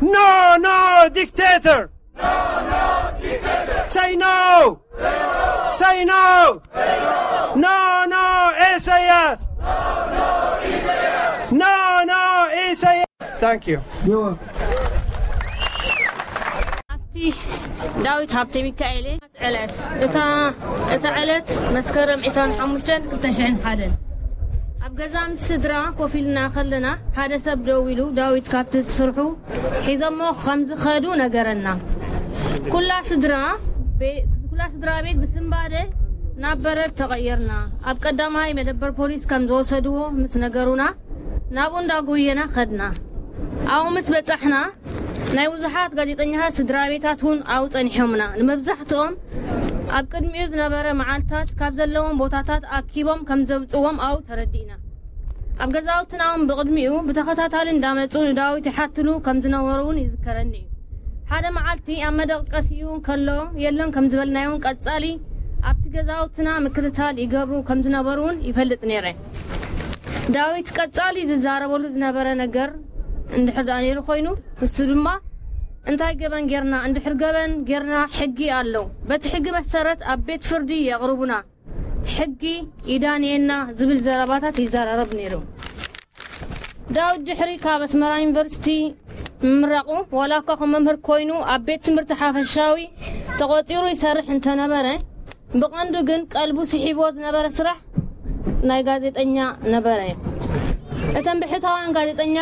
No, no, dictator! Say no! Say no! No, no, Isaias! No, no, Isaias! Thank you. ኣብቲ ዳዊት ሃብተ ሚካኤል ዕለት እታ እታ ዕለት መስከረም ዕስራን ሓሙሽተን ክልተ ሽሕን ሓደን ኣብ ገዛ ምስ ስድራ ኮፍ ኢልና ከለና ሓደ ሰብ ደው ኢሉ ዳዊት ካብቲ ስርሑ ሒዞሞ ከም ዝኸዱ ነገረና። ኩላ ስድራ ቤ- ኩላ ስድራ ቤት ብስንባደ ናብ በረድ ተቐየርና። ኣብ ቀዳማይ መደበር ፖሊስ ከም ዝወሰድዎ ምስ ነገሩና ናብኡ እንዳጎየና ከድና። ኣብኡ ምስ በጻሕና ናይ ብዙሓት ጋዜጠኛታት ስድራ ቤታት እውን ኣብኡ ጸኒሖምና። ንመብዛሕትኦም ኣብ ቅድሚኡ ዝነበረ መዓልታት ካብ ዘለዎም ቦታታት ኣኪቦም ከም ዘውጽዎም ኣብኡ ተረዲእና። ኣብ ገዛውትና እውን ብቕድሚኡ ብተኸታታሊ እንዳመጹ ንዳዊት ይሓትሉ ከም ዝነበሩ እውን ይዝከረኒ እዩ። ሓደ መዓልቲ ኣብ መደቀሲኡ ከሎ የለን ከም ዝበልናዮ እውን ቀጻሊ ኣብቲ ገዛውትና ምክትታል ይገብሩ ከም ዝነበሩ እውን ይፈልጥ ነይረ። ዳዊት ቀጻሊ ዝዛረበሉ ዝነበረ ነገር እንድሕር ደኣ ነይሩ ኮይኑ ንሱ ድማ እንታይ ገበን ጌርና እንድሕር ገበን ጌርና ሕጊ ኣሎ። በቲ ሕጊ መሰረት ኣብ ቤት ፍርዲ የቕርቡና። ሕጊ ይዳንየና ዝብል ዘረባታት ይዘራረብ ነይሩ። ዳዊት ድሕሪ ካብ ኣስመራ ዩኒቨርሲቲ ምምራቑ ዋላ እኳ ከም መምህር ኮይኑ ኣብ ቤት ትምህርቲ ሓፈሻዊ ተቖጺሩ ይሰርሕ እንተነበረ ብቐንዱ ግን ቀልቡ ስሒብዎ ዝነበረ ስራሕ ናይ ጋዜጠኛ ነበረ። እተን ብሕታውያን ጋዜጠኛ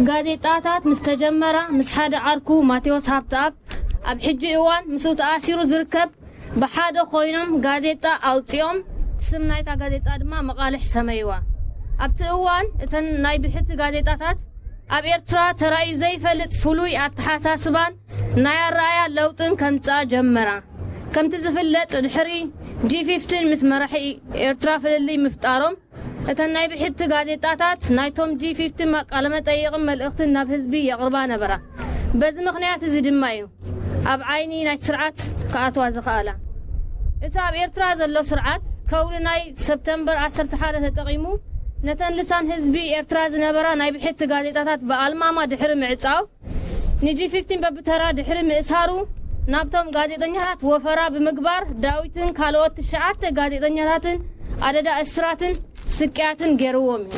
ጋዜጣታት ምስ ተጀመራ ምስ ሓደ ዓርኩ ማቴዎስ ሃብተኣብ ኣብ ሕጂ እዋን ምስኡ ተኣሲሩ ዝርከብ ብሓደ ኮይኖም ጋዜጣ ኣውፂኦም ስም ናይታ ጋዜጣ ድማ መቓልሕ ሰመይዋ። ኣብቲ እዋን እተን ናይ ብሕቲ ጋዜጣታት ኣብ ኤርትራ ተራእዩ ዘይፈልጥ ፍሉይ ኣተሓሳስባን ናይ ኣረኣያ ለውጥን ከምፅኣ ጀመራ። ከምቲ ዝፍለጥ ድሕሪ ጂ ፊፍቲን ምስ መራሒ ኤርትራ ፍልልይ ምፍጣሮም እተን ናይ ብሕቲ ጋዜጣታት ናይቶም ጂ ፊፍቲን ቃለመጠይቕን መልእኽትን ናብ ህዝቢ የቕርባ ነበራ። በዚ ምኽንያት እዚ ድማ እዩ ኣብ ዓይኒ ናይቲ ስርዓት ክኣትዋ ዝኸኣላ። እቲ ኣብ ኤርትራ ዘሎ ስርዓት ከውሊ ናይ ሰፕተምበር ዓሰርተ ሓደ ተጠቒሙ ነተን ልሳን ህዝቢ ኤርትራ ዝነበራ ናይ ብሕቲ ጋዜጣታት ብኣልማማ ድሕሪ ምዕጻው ንጂ ፊፍቲን በብተራ ድሕሪ ምእሳሩ ናብቶም ጋዜጠኛታት ወፈራ ብምግባር ዳዊትን ካልኦት ትሽዓተ ጋዜጠኛታትን ኣደዳ እስራትን ስቅያትን ገይርዎም እዩ።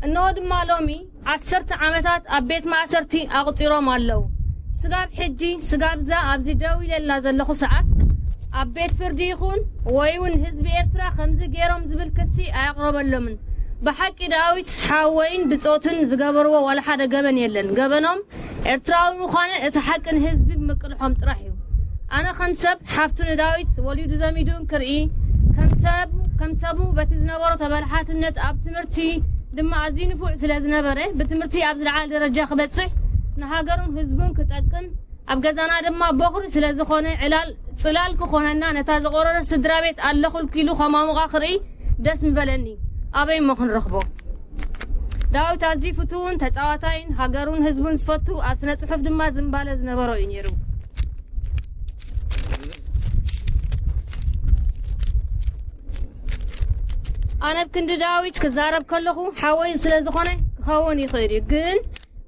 እንሆ ድማ ሎሚ ዓሰርተ ዓመታት ኣብ ቤት ማእሰርቲ ኣቑጺሮም ኣለዉ። ስጋብ ሕጂ ስጋብ እዛ ኣብዚ ደው ኢለላ ዘለኹ ሰዓት ኣብ ቤት ፍርዲ ይኹን ወይ እውን ህዝቢ ኤርትራ ከምዚ ገይሮም ዝብል ክሲ ኣየቕረበሎምን። ብሓቂ ዳዊት ሓወይን ብጾትን ዝገበርዎ ዋላ ሓደ ገበን የለን። ገበኖም ኤርትራዊ ምዃነ እቲ ሓቂ ንህዝቢ ብምቅልሖም ጥራሕ እዩ። ኣነ ከም ሰብ ሓፍቱ ንዳዊት ወሊዱ ዘሚዱ እንክርኢ ከም ሰብ ከም ሰቡ በቲ ዝነበሮ ተበላሓትነት ኣብ ትምህርቲ ድማ ኣዝዩ ንፉዕ ስለ ዝነበረ ብትምህርቲ ኣብ ዝለዓለ ደረጃ ክበጽሕ ንሃገሩን ህዝቡን ክጠቅም ኣብ ገዛና ድማ ቦኽሪ ስለ ዝኾነ ዕላል ጽላል ክኾነና ነታ ዝቆረረ ስድራ ቤት ኣለኹልኪ ኢሉ ከማሙቓ ክርኢ ደስ ምበለኒ። ኣበይ እሞ ክንረኽቦ? ዳዊት ኣዝዩ ፍቱውን ተጻዋታይን ሃገሩን ህዝቡን ዝፈቱ ኣብ ስነ ጽሑፍ ድማ ዝንባለ ዝነበሮ እዩ ነይሩ። ኣነ ብክንዲ ዳዊት ክዛረብ ከለኹ ሓወይ ስለ ዝኾነ ክኸውን ይኽእል እዩ። ግን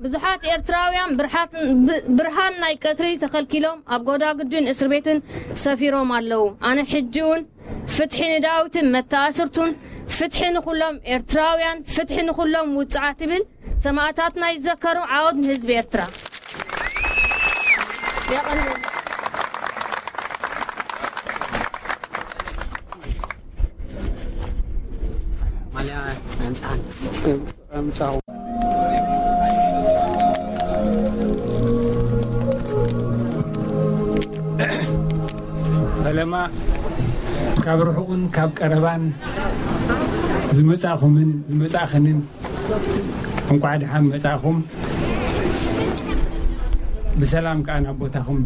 ብዙሓት ኤርትራውያን ብርሃት- ብ- ብርሃን ናይ ቀትሪ ተኸልኪሎም ኣብ ጎዳጉድን እስር ቤትን ሰፊሮም ኣለዉ። ኣነ ሕጂ እውን ፍትሒ ንዳዊትን መተኣስርቱን፣ ፍትሒ ንኹሎም ኤርትራውያን፣ ፍትሒ ንኹሎም ውጹዓት ይብል። ሰማእታትና ይዘከሩ። ዓወት ንህዝቢ ኤርትራ። ማልያ ኣምጽኣን። ኣምጻው። ፈለማ ካብ ርሑቕን ካብ ቀረባን ዝመጻእኹምን ዝመጻእኽንን እንቋዕ ደሓን መጻእኹም። ብሰላም ከኣ ናብ ቦታኹም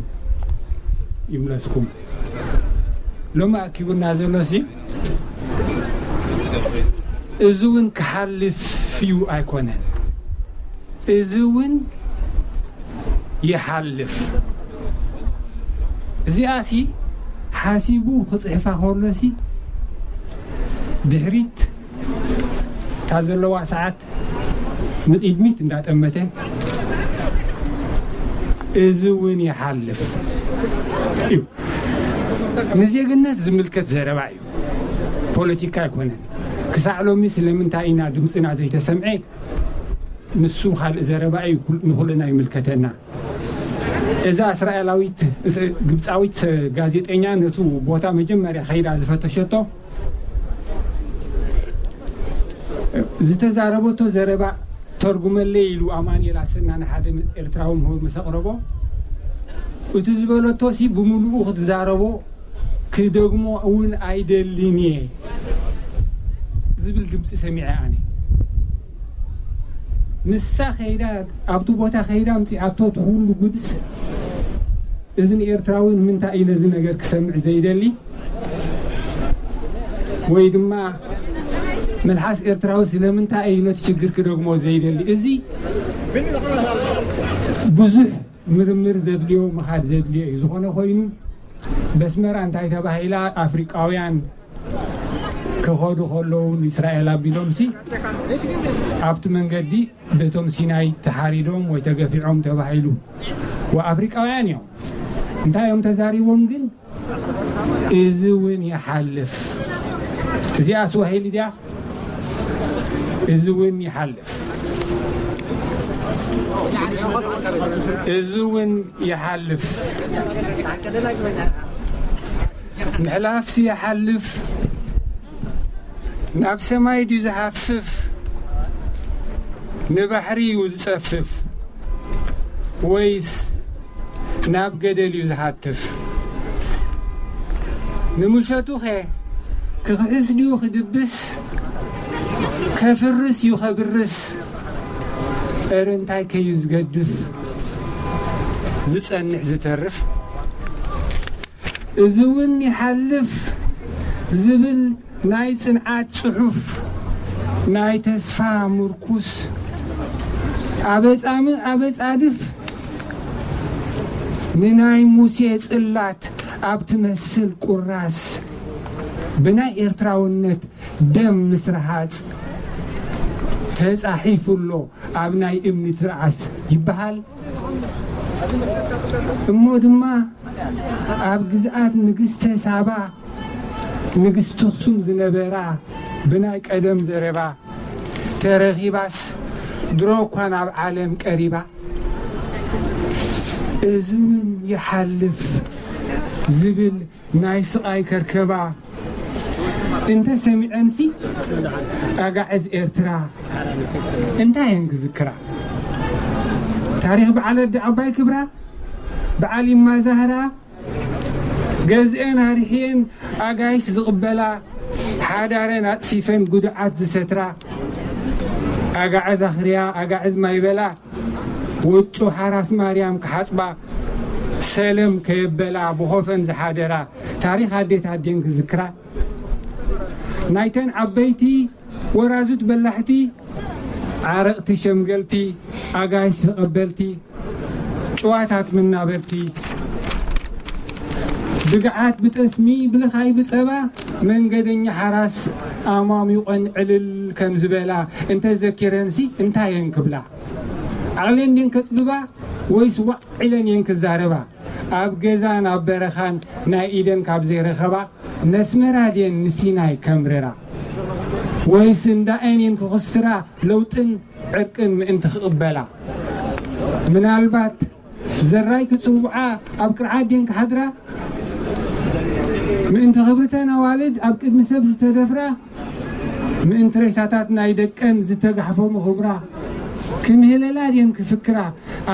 ይምለስኩም። ሎሚ ኣኪቡና ዘሎሲ እዚ እውን ክሓልፍ እዩ ኣይኮነን፣ እዚ እውን ይሓልፍ። እዚኣሲ ሓሲቡ ክጽሕፋ ከሎሲ ድሕሪት እታ ዘለዋ ሰዓት ንቕድሚት እንዳጠመተ እዚ እውን ይሓልፍ እዩ። ንዜግነት ዝምልከት ዘረባ እዩ፣ ፖለቲካ ኣይኮነን። ክሳዕ ሎሚ ስለምንታይ ኢና ድምፅና ዘይተሰምዐ? ንሱ ካልእ ዘረባ እዩ፣ ኩል- ንኹልና ይምልከተና። እዛ እስራኤላዊት እስ- ግብፃዊት ጋዜጠኛ ነቱ ቦታ መጀመርያ ከይዳ ዝፈተሸቶ ዝተዛረበቶ ዘረባ ተርጉመለይ ኢሉ ኣማኑኤል ኣሰና ንሓደ ኤርትራዊ ምሁር ምስ ኣቕረቦ፣ እቲ ዝበለቶ ሲ ብምሉኡ ክትዛረቦ ክደግሞ እውን ኣይደልን እየ ዝብል ድምፂ ሰሚዐ ኣነ። ንሳ ከይዳ ኣብቲ ቦታ ከይዳ ኣምፂኣቶ እቲ ኩሉ ጉድስ እዚ ንኤርትራዊ ንምንታይ እዩ ነዚ ነገር ክሰምዕ ዘይደሊ? ወይ ድማ መልሓስ ኤርትራዊ ስለምንታይ እዩ ነቲ ሽግር ክደግሞ ዘይደሊ? እዚ ብዙሕ ምርምር ዘድልዮ፣ ምኻድ ዘድልዮ እዩ። ዝኾነ ኮይኑ በስመራ እንታይ ተባሂላ? ኣፍሪቃውያን ክኸዱ ከለዉ ንእስራኤል ኣቢሎምሲ ኣብቲ መንገዲ በቶም ሲናይ ተሓሪዶም ወይ ተገፊዖም ተባሂሉ። ወኣፍሪቃውያን እዮም። እንታይ እዮም ተዛሪቦም ግን? እዚ እውን ይሓልፍ። እዚኣ ስዋሂሊ ድያ? እዚ እውን ይሓልፍ። እዚ እውን ይሓልፍ። ምሕላፍሲ ይሓልፍ። ናብ ሰማይ ድዩ ዝሃፍፍ? ንባሕሪ እዩ ዝጸፍፍ? ወይስ ናብ ገደል እዩ ዝሃትፍ? ንምሸቱኸ ክኽሕስ ድዩ ክድብስ? ከፍርስ እዩ ከብርስ? እረ እንታይ ከዩ ዝገድፍ? ዝጸንሕ ዝተርፍ? እዚ እውን ይሓልፍ ዝብል ናይ ጽንዓት ጽሑፍ፣ ናይ ተስፋ ምርኩስ፣ ኣበጻምእ ኣበጻድፍ ንናይ ሙሴ ጽላት ኣብ ትመስል ቁራስ ብናይ ኤርትራውነት ደም ምስ ረሃጽ ተጻሒፉ ኣሎ ኣብ ናይ እምኒ ትርዓስ ይበሃል። እሞ ድማ ኣብ ግዝኣት ንግስተ ሳባ ንግስቲ ኣኽሱም ዝነበራ ብናይ ቀደም ዘረባ ተረኺባስ ድሮ እኳ ናብ ዓለም ቀሪባ። እዚ እውን ይሓልፍ ዝብል ናይ ስቓይ ከርከባ እንተ ሰሚዐንሲ ኣጋዕዝ ኤርትራ እንታይ እየን ክዝክራ? ታሪኽ በዓል ኣዲ ዓባይ ክብራ፣ በዓል ይማዛህራ፣ ገዝኤን ኣርሕየን ኣጋይሽ ዝቕበላ፣ ሓዳረን ኣጽፊፈን ጉዱዓት ዝሰትራ፣ ኣጋዕዝ ኣኽርያ ኣጋዕዝ ማይበላ፣ ውጩ ሓራስ ማርያም ክሓጽባ፣ ሰለም ከየበላ ብኾፈን ዝሓደራ፣ ታሪኽ ኣዴታት ድየን ክዝክራ? ናይተን ዓበይቲ ወራዙት በላሕቲ፣ ዓረቕቲ ሸምገልቲ፣ ኣጋይሽ ተቐበልቲ፣ ጭዋታት መናበርቲ፣ ብግዓት ብጠስሚ ብልኻይ ብጸባ፣ መንገደኛ ሓራስ ኣማሚቖን ዕልል ከም ዝበላ እንተ ዘኪረንሲ እንታይ እየን ክብላ? ዓቕለን ድየን ከጽብባ ወይስ ዋዕ ኢለን እየን ክዛረባ? ኣብ ገዛን ኣብ በረኻን ናይ ኢደን ካብ ዘይረኸባ ነስመራ ድየን ንሲናይ ከምርራ? ወይስ እንዳኤን እየን ክኽስራ ለውጥን ዕርቅን ምእንቲ ክቕበላ? ምናልባት ዘራይ ክጽውዓ ኣብ ቅርዓት ድየን ክሓድራ? ምእንቲ ክብርተን ኣዋልድ ኣብ ቅድሚ ሰብ ዝተደፍራ፣ ምእንቲ ሬሳታት ናይ ደቀን ዝተጋሕፎ ምኽብራ ክምህለላ ድየን ክፍክራ?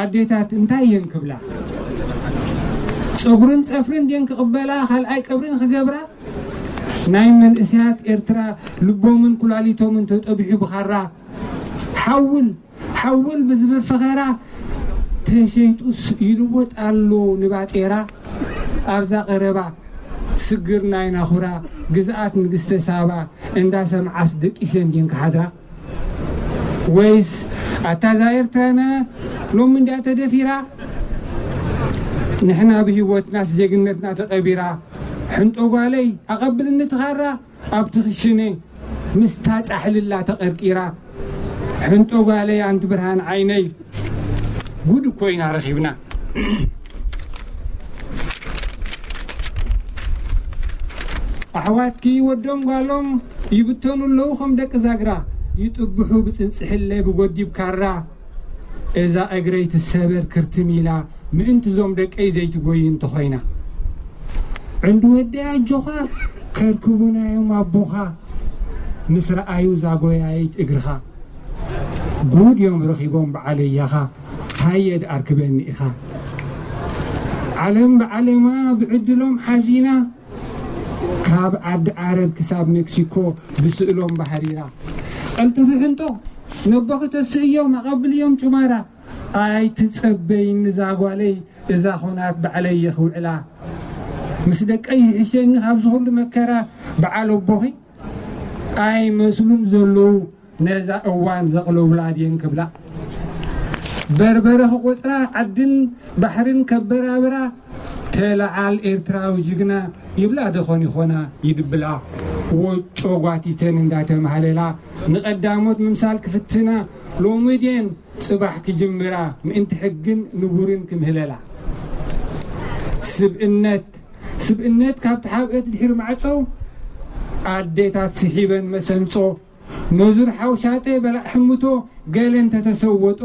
ኣዴታት እንታይ እየን ክብላ? ጸጉርን ጸፍርን ድየን ክቕበላ ካልኣይ ቀብርን ክገብራ? ናይ መንእሰያት ኤርትራ ልቦምን ኩላሊቶምን ተጠቢሑ ብኻራ ሓውል ሓውል ብዝብል ፈኸራ ተሸይጡስ ይልወጥ ኣሎ ንባጤራ። ኣብዛ ቀረባ ስግር ናይ ናኹራ ግዝኣት ንግስተ ሳባ እንዳሰምዓስ ደቂሰን ድየን ክሓድራ? ወይስ ኣታ እዛ ኤርትራና ሎሚ እንድያ ተደፊራ? ንሕና ብህይወትናስ ዜግነትና ተቐቢራ። ሕንጦ ጓለይ ኣቐብልኒ ትኻራ ኣብቲ ክሽነ ምስታ ጻሕልላ ተቐርቂራ። ሕንጦ ጓለይ ኣንቲ ብርሃን ዓይነይ ጉድ እኮ ኢና ረኺብና። ኣሕዋትኪ ወዶም ጓሎም ይብተኑ ኣለዉ ከም ደቂ ዛግራ፣ ይጥብሑ ብጽንጽሕለ ብጎዲብ ካራ። እዛ እግረይ ትሰበር ክርትም ኢላ ምእንቲ ዞም ደቀይ ዘይትጎይ እንተኾይና። ዕንዲ ወደይ ኣጆኻ ከርክቡናዮም ኣቦኻ ምስ ረኣዩ ዛጎያይት እግርኻ። ጉድ እዮም ረኺቦም በዓለያኻ ታየ ድኣርክበኒ ኢኻ። ዓለም ብዓለማ ብዕድሎም ሓዚና ካብ ዓዲ ዓረብ ክሳብ ሜክሲኮ ብስእሎም ባህሪራ። ቀልጥፊ ሕንጦ ነቦኺ ተስእዮም ኣቐብልዮም ጩማራ። ኣይትጸበይኒ እዛ ጓለይ እዛ ኾናት ባዕለይ የኽውዕላ። ምስ ደቀይ ይሕሸኒ ካብዚ ኹሉ መከራ በዓል ኣቦኺ ኣይመስሉን ዘለዉ ነዛ እዋን ዘቕለውላ ድየን ክብላ። በርበረ ክቆጽራ ዓድን ባሕርን ከበራብራ ተለዓል ኤርትራዊ ጅግና ይብላ ደኾን ይኾና ይድብላ። ወጮ ጓቲተን እንዳተማህለላ ንቐዳሞት ምምሳል ክፍትና ሎሚ ድየን ጽባሕ ክጅምራ ምእንቲ ሕግን ንቡርን ክምህለላ። ስብእነት ስብእነት ካብ ተሓብአት ድሕሪ ማዕጾ ኣዴታት ስሒበን መሰንጾ ነዙር ሓውሻጠ በላዕ ሕምቶ ገለ እንተተሰወጦ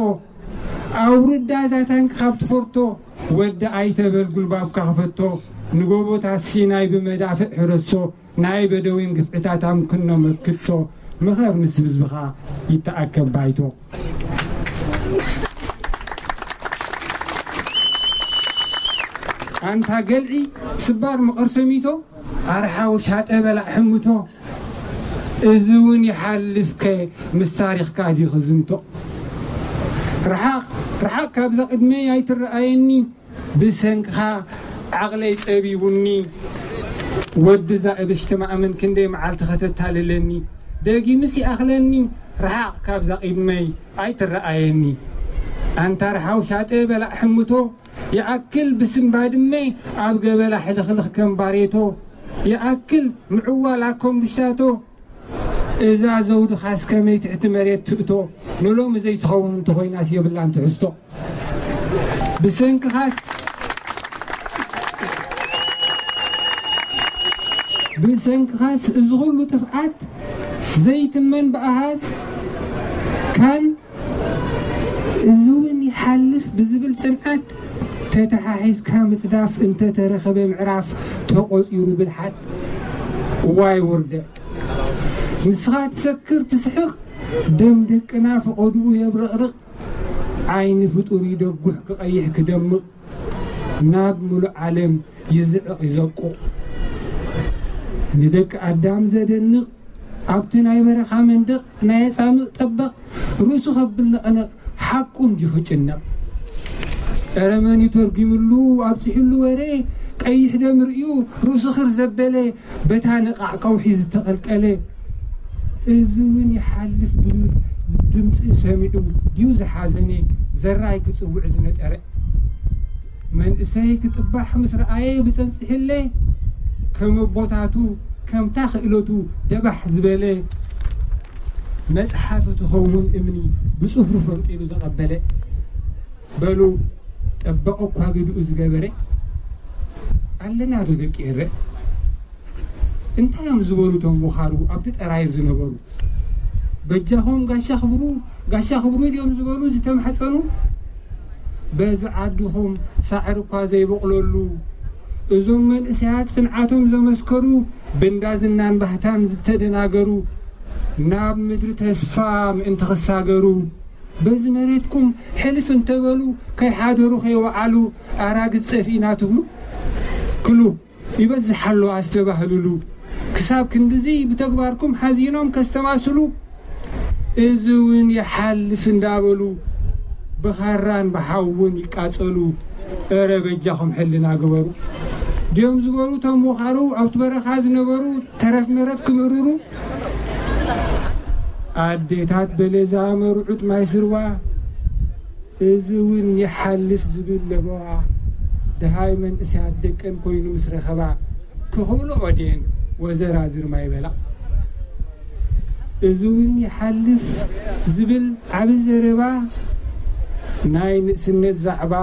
ኣውርዳ እዛ ታንክ ካብ ትፈርቶ ወዲ ኣይተበል ጉልባብካ ክፈቶ ንጎቦታት ሲናይ ብመዳፍዕ ሕረሶ ናይ በደዊን ግፍዕታት ኣምክኖ መክቶ ምኸር ምስ ህዝብኻ ይተኣከብ ባይቶ። ኣንታ ገልዒ ስባር መቐር ሰሚቶ ኣርሓው ሻጠ በላዕ ሕምቶ እዚ እውን ይሓልፍከ ምስ ታሪኽካ ዲኺ ዝንቶ። ርሓቕ ርሓቕ ካብዛ ቅድመይ ኣይትረኣየኒ ብሰንክኻ ዓቕለይ ጸቢቡኒ። ወዲ እዛ እብሽቲ ማእምን ክንደይ መዓልቲ ከተታልለኒ ደጊምስ ይኣኽለኒ ርሓቕ ካብዛ ቅድመይ ኣይትረኣየኒ። ኣንታ ርሓው ሻጠ በላዕ ሕምቶ ይኣክል ብስም ባድመ ኣብ ገበላ ሕልኽልኽ ከም ባሬቶ ይኣክል ምዕዋል ኣኮምብሽታቶ እዛ ዘውድኻስ ከመይ ትሕቲ መሬት ትእቶ ንሎሚ ዘይትኸውን እንተኾይናስ የብላን ትሕዝቶ። ብሰንክኻስ ብሰንክኻስ እዚ ኹሉ ጥፍኣት ዘይትመን ብኣሃዝ ካን እዚ እውን ይሓልፍ ብዝብል ጽንዓት ተተሓሒዝካ ምጽዳፍ እንተተረኸበ ምዕራፍ ተቖጺሩ ብልሓት። እዋይ ውርደት! ንስኻ ትሰክር ትስሕቕ ደም ደቅና ፈቐድኡ የብረቕርቕ ዓይኒ ፍጡር ይደጉሕ ክቐይሕ ክደምቕ ናብ ምሉእ ዓለም ይዝዕቕ ይዘቁቕ ንደቂ ኣዳም ዘደንቕ ኣብቲ ናይ በረኻ መንደቕ ናይ ኣጻምእ ጠበቕ ርእሱ ከብል ነቐነቕ ሓቁ እንዲዩ ክጭነቕ። ጸረ መን እዩ ተርጒምሉ ኣብጺሑሉ ወረ ቀይሕ ደም ርእዩ ርእሱ ኽር ዘበለ በታ ነቓዕ ከውሒ ዝተቐልቀለ። እዚ እውን ይሓልፍ ድብል ድምፂ ሰሚዑ ድዩ ዝሓዘነ ዘራይ ክፅውዕ ዝነጠረ። መንእሰይ ክጥባሕ ምስ ረኣየ ብፀንፅሕለ ከም ኣቦታቱ ከምታ ክእለቱ ደባሕ ዝበለ። መፅሓፊ ትኸውን እምኒ ብፅፍሩ ፈንቂሉ ዘቐበለ። በሉ ጠበቐ እኳ ግድኡ ዝገበረ ኣለና ዶ ደቂ ኤረ? እንታይ እዮም ዝበሉ እቶም ወኻሩ ኣብቲ ጠራይ ዝነበሩ? በጃኹም ጋሻ ክብሩ ጋሻ ክብሩ ድዮም ዝበሉ ዝተማሕፀኑ? በዚ ዓድኹም ሳዕሪ እኳ ዘይበቕለሉ፣ እዞም መንእሰያት ጽንዓቶም ዘመስከሩ፣ ብእንዳ ዝናን ባህታን ዝተደናገሩ፣ ናብ ምድሪ ተስፋ ምእንቲ ክሳገሩ፣ በዚ መሬትኩም ሕልፍ እንተበሉ፣ ከይሓደሩ ከይወዓሉ፣ ኣራግዝ ጠፊእና ትብሉ? ክሉ ይበዝሕ ኣሎ ኣስተባህልሉ። ክሳብ ክንድዚ ብተግባርኩም ሓዚኖም ከስተማስሉ፣ እዚ እውን ይሓልፍ እንዳበሉ፣ ብኻራን ብሓውን ይቃጸሉ። እረ በጃኹም ሕልና ግበሩ። ድዮም ዝበሉ እቶም ወኻሩ ኣብቲ በረኻ ዝነበሩ ተረፍ መረፍ ክምእርሩ? ኣዴታት በለዛ መርዑት ማይ ስርዋ፣ እዚ እውን ይሓልፍ ዝብል ለበዋ፣ ደሃይ መንእሰያት ደቀን ኮይኑ ምስ ረኸባ፣ ክኽእልኦ ድየን ወዘራዝር ማይ በላ? እዚ እውን ይሓልፍ ዝብል ዓቢ ዘረባ፣ ናይ ንእስነት ዛዕባ፣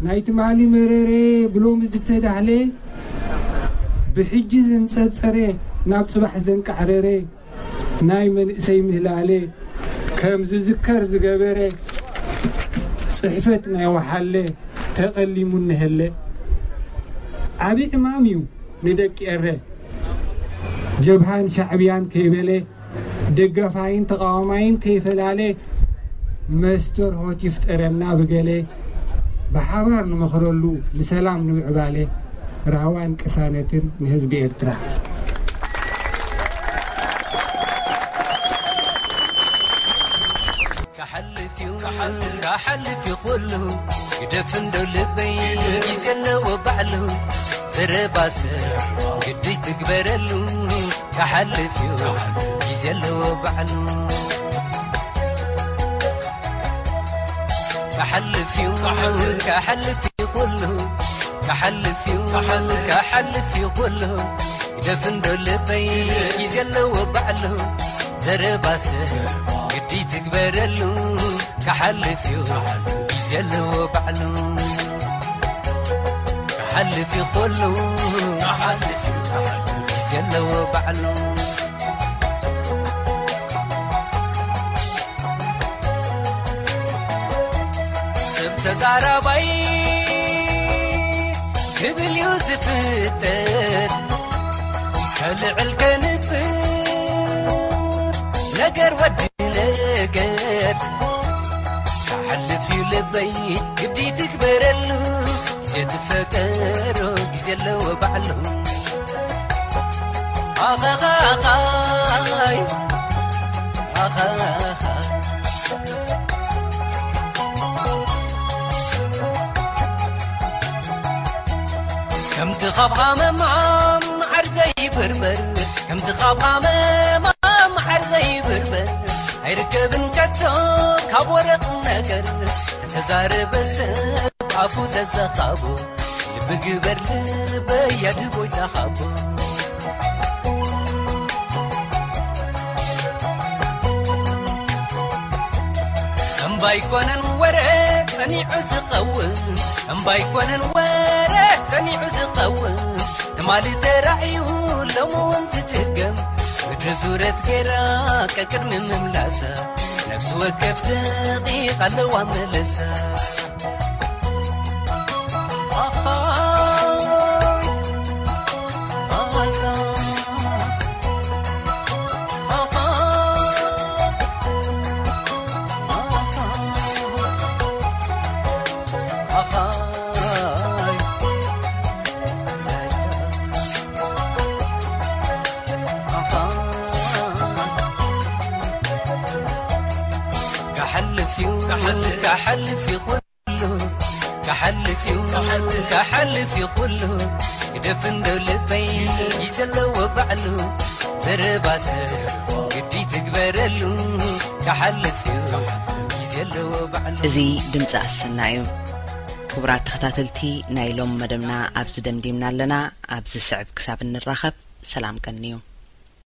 ናይ ትማሊ መረረ ብሎሚ ዝተዳህለ፣ ብሕጂ ዘንጸርጸረ፣ ናብ ጽባሕ ዘንቃዕረረ፣ ናይ መንእሰይ ምህላለ ከም ዝዝከር ዝገበረ፣ ጽሕፈት ናይ ወሓለ ተቐሊሙ እንሀለ። ዓቢ ዕማም እዩ ንደቂ ኤረ። ጀብሃን ሻዕብያን ከይበለ፣ ደጋፋይን ተቓዋማይን ከይፈላለ፣ መስተርሆት ይፍጠረልና ብገለ፣ ብሓባር ንመኽረሉ ንሰላም ንምዕባለ፣ ራህዋን ቅሳነትን ንህዝቢ ኤርትራ። ክሓልፍ እዩ፣ ክሓልፍ እዩ ኩሉ፣ ግደፍ እንዶ ልበይ፣ ግዜ ኣለዎ ባዕሉ፣ ዘረባ ሰብ ግዲ ትግበረሉ፣ ክሓልፍ እዩ፣ ግዜ ኣለዎ ባዕሉ። ክሓልፍ እዩ፣ ክሓልፍ እዩ ኩሉ፣ ክሓልፍ እዩ፣ ክሓልፍ እዩ ኩሉ፣ ግደፍ እንዶ ልበይ፣ ግዜ ኣለዎ ባዕሉ፣ ዘረባ ሰብ ግዲ ትግበረሉ፣ ክሓልፍ እዩ፣ ግዜ ኣለዎ ባዕሉ። ክሓልፍ እዩ ኩሉ፣ ግዜ ኣለዎ ባዕሉ። ሰብ ተዛራባይ ክብል እዩ ዝፍጠር፣ ከልዕል ከንብር ነገር ወዲ ነገር። ክሓልፍ እዩ ልበይ ግዲ ትግበረሉ፣ ግዜ ትፈጠሮ ግዜ ኣለዎ ባዕሉ። ኣኻኻኻይ ኣኻኻይ ከምቲ ካብ ሃመማ መዓር ዘይብርበር፣ ከምቲ ካብ ሃመማ መዓር ዘይብርበር፣ ኣይርከብን ከቶ ካብ ወረቕ ነገር። ተተዛረበ ሰብ ኣፉ ዘዘኻቦ፣ ልቢ ግበር ልበይ ኣድጎይ ተኻቦ። እምባይ ኮነን ወረ ጸኒዑ ዝኸውን፣ እምባይ ኮነን ወረ ጸኒዑ ዝኸውን፣ ትማሊ ተራእዩ ሎሚ እውን ዝድገም፣ ምድሪ ዙረት ገይራ ቀቅድሚ ምምላሳ፣ ነፍሲ ወከፍ ደቂቕ ኣለዋ መለሳ። ክሓልፍ እዩ፣ ክሓልፍ እዩ ኩሉ፣ ክሓልፍ እዩ፣ ክሓልፍ እዩ ኩሉ፣ ግደፍ እንዶ ልበይ፣ ግዜ ኣለዎ ባዕሉ፣ ዘረባ ሰብ ግዲ ትግበረሉ፣ ክሓልፍ እዩ፣ ግዜ ኣለዎ ባዕሉ። እዚ ድምፂ ኣሰና እዩ። ክቡራት ተኸታተልቲ፣ ናይ ሎም መደብና ኣብዚ ደምዲምና ኣለና። ኣብዚ ስዕብ ክሳብ እንራኸብ፣ ሰላም ቀንዩ።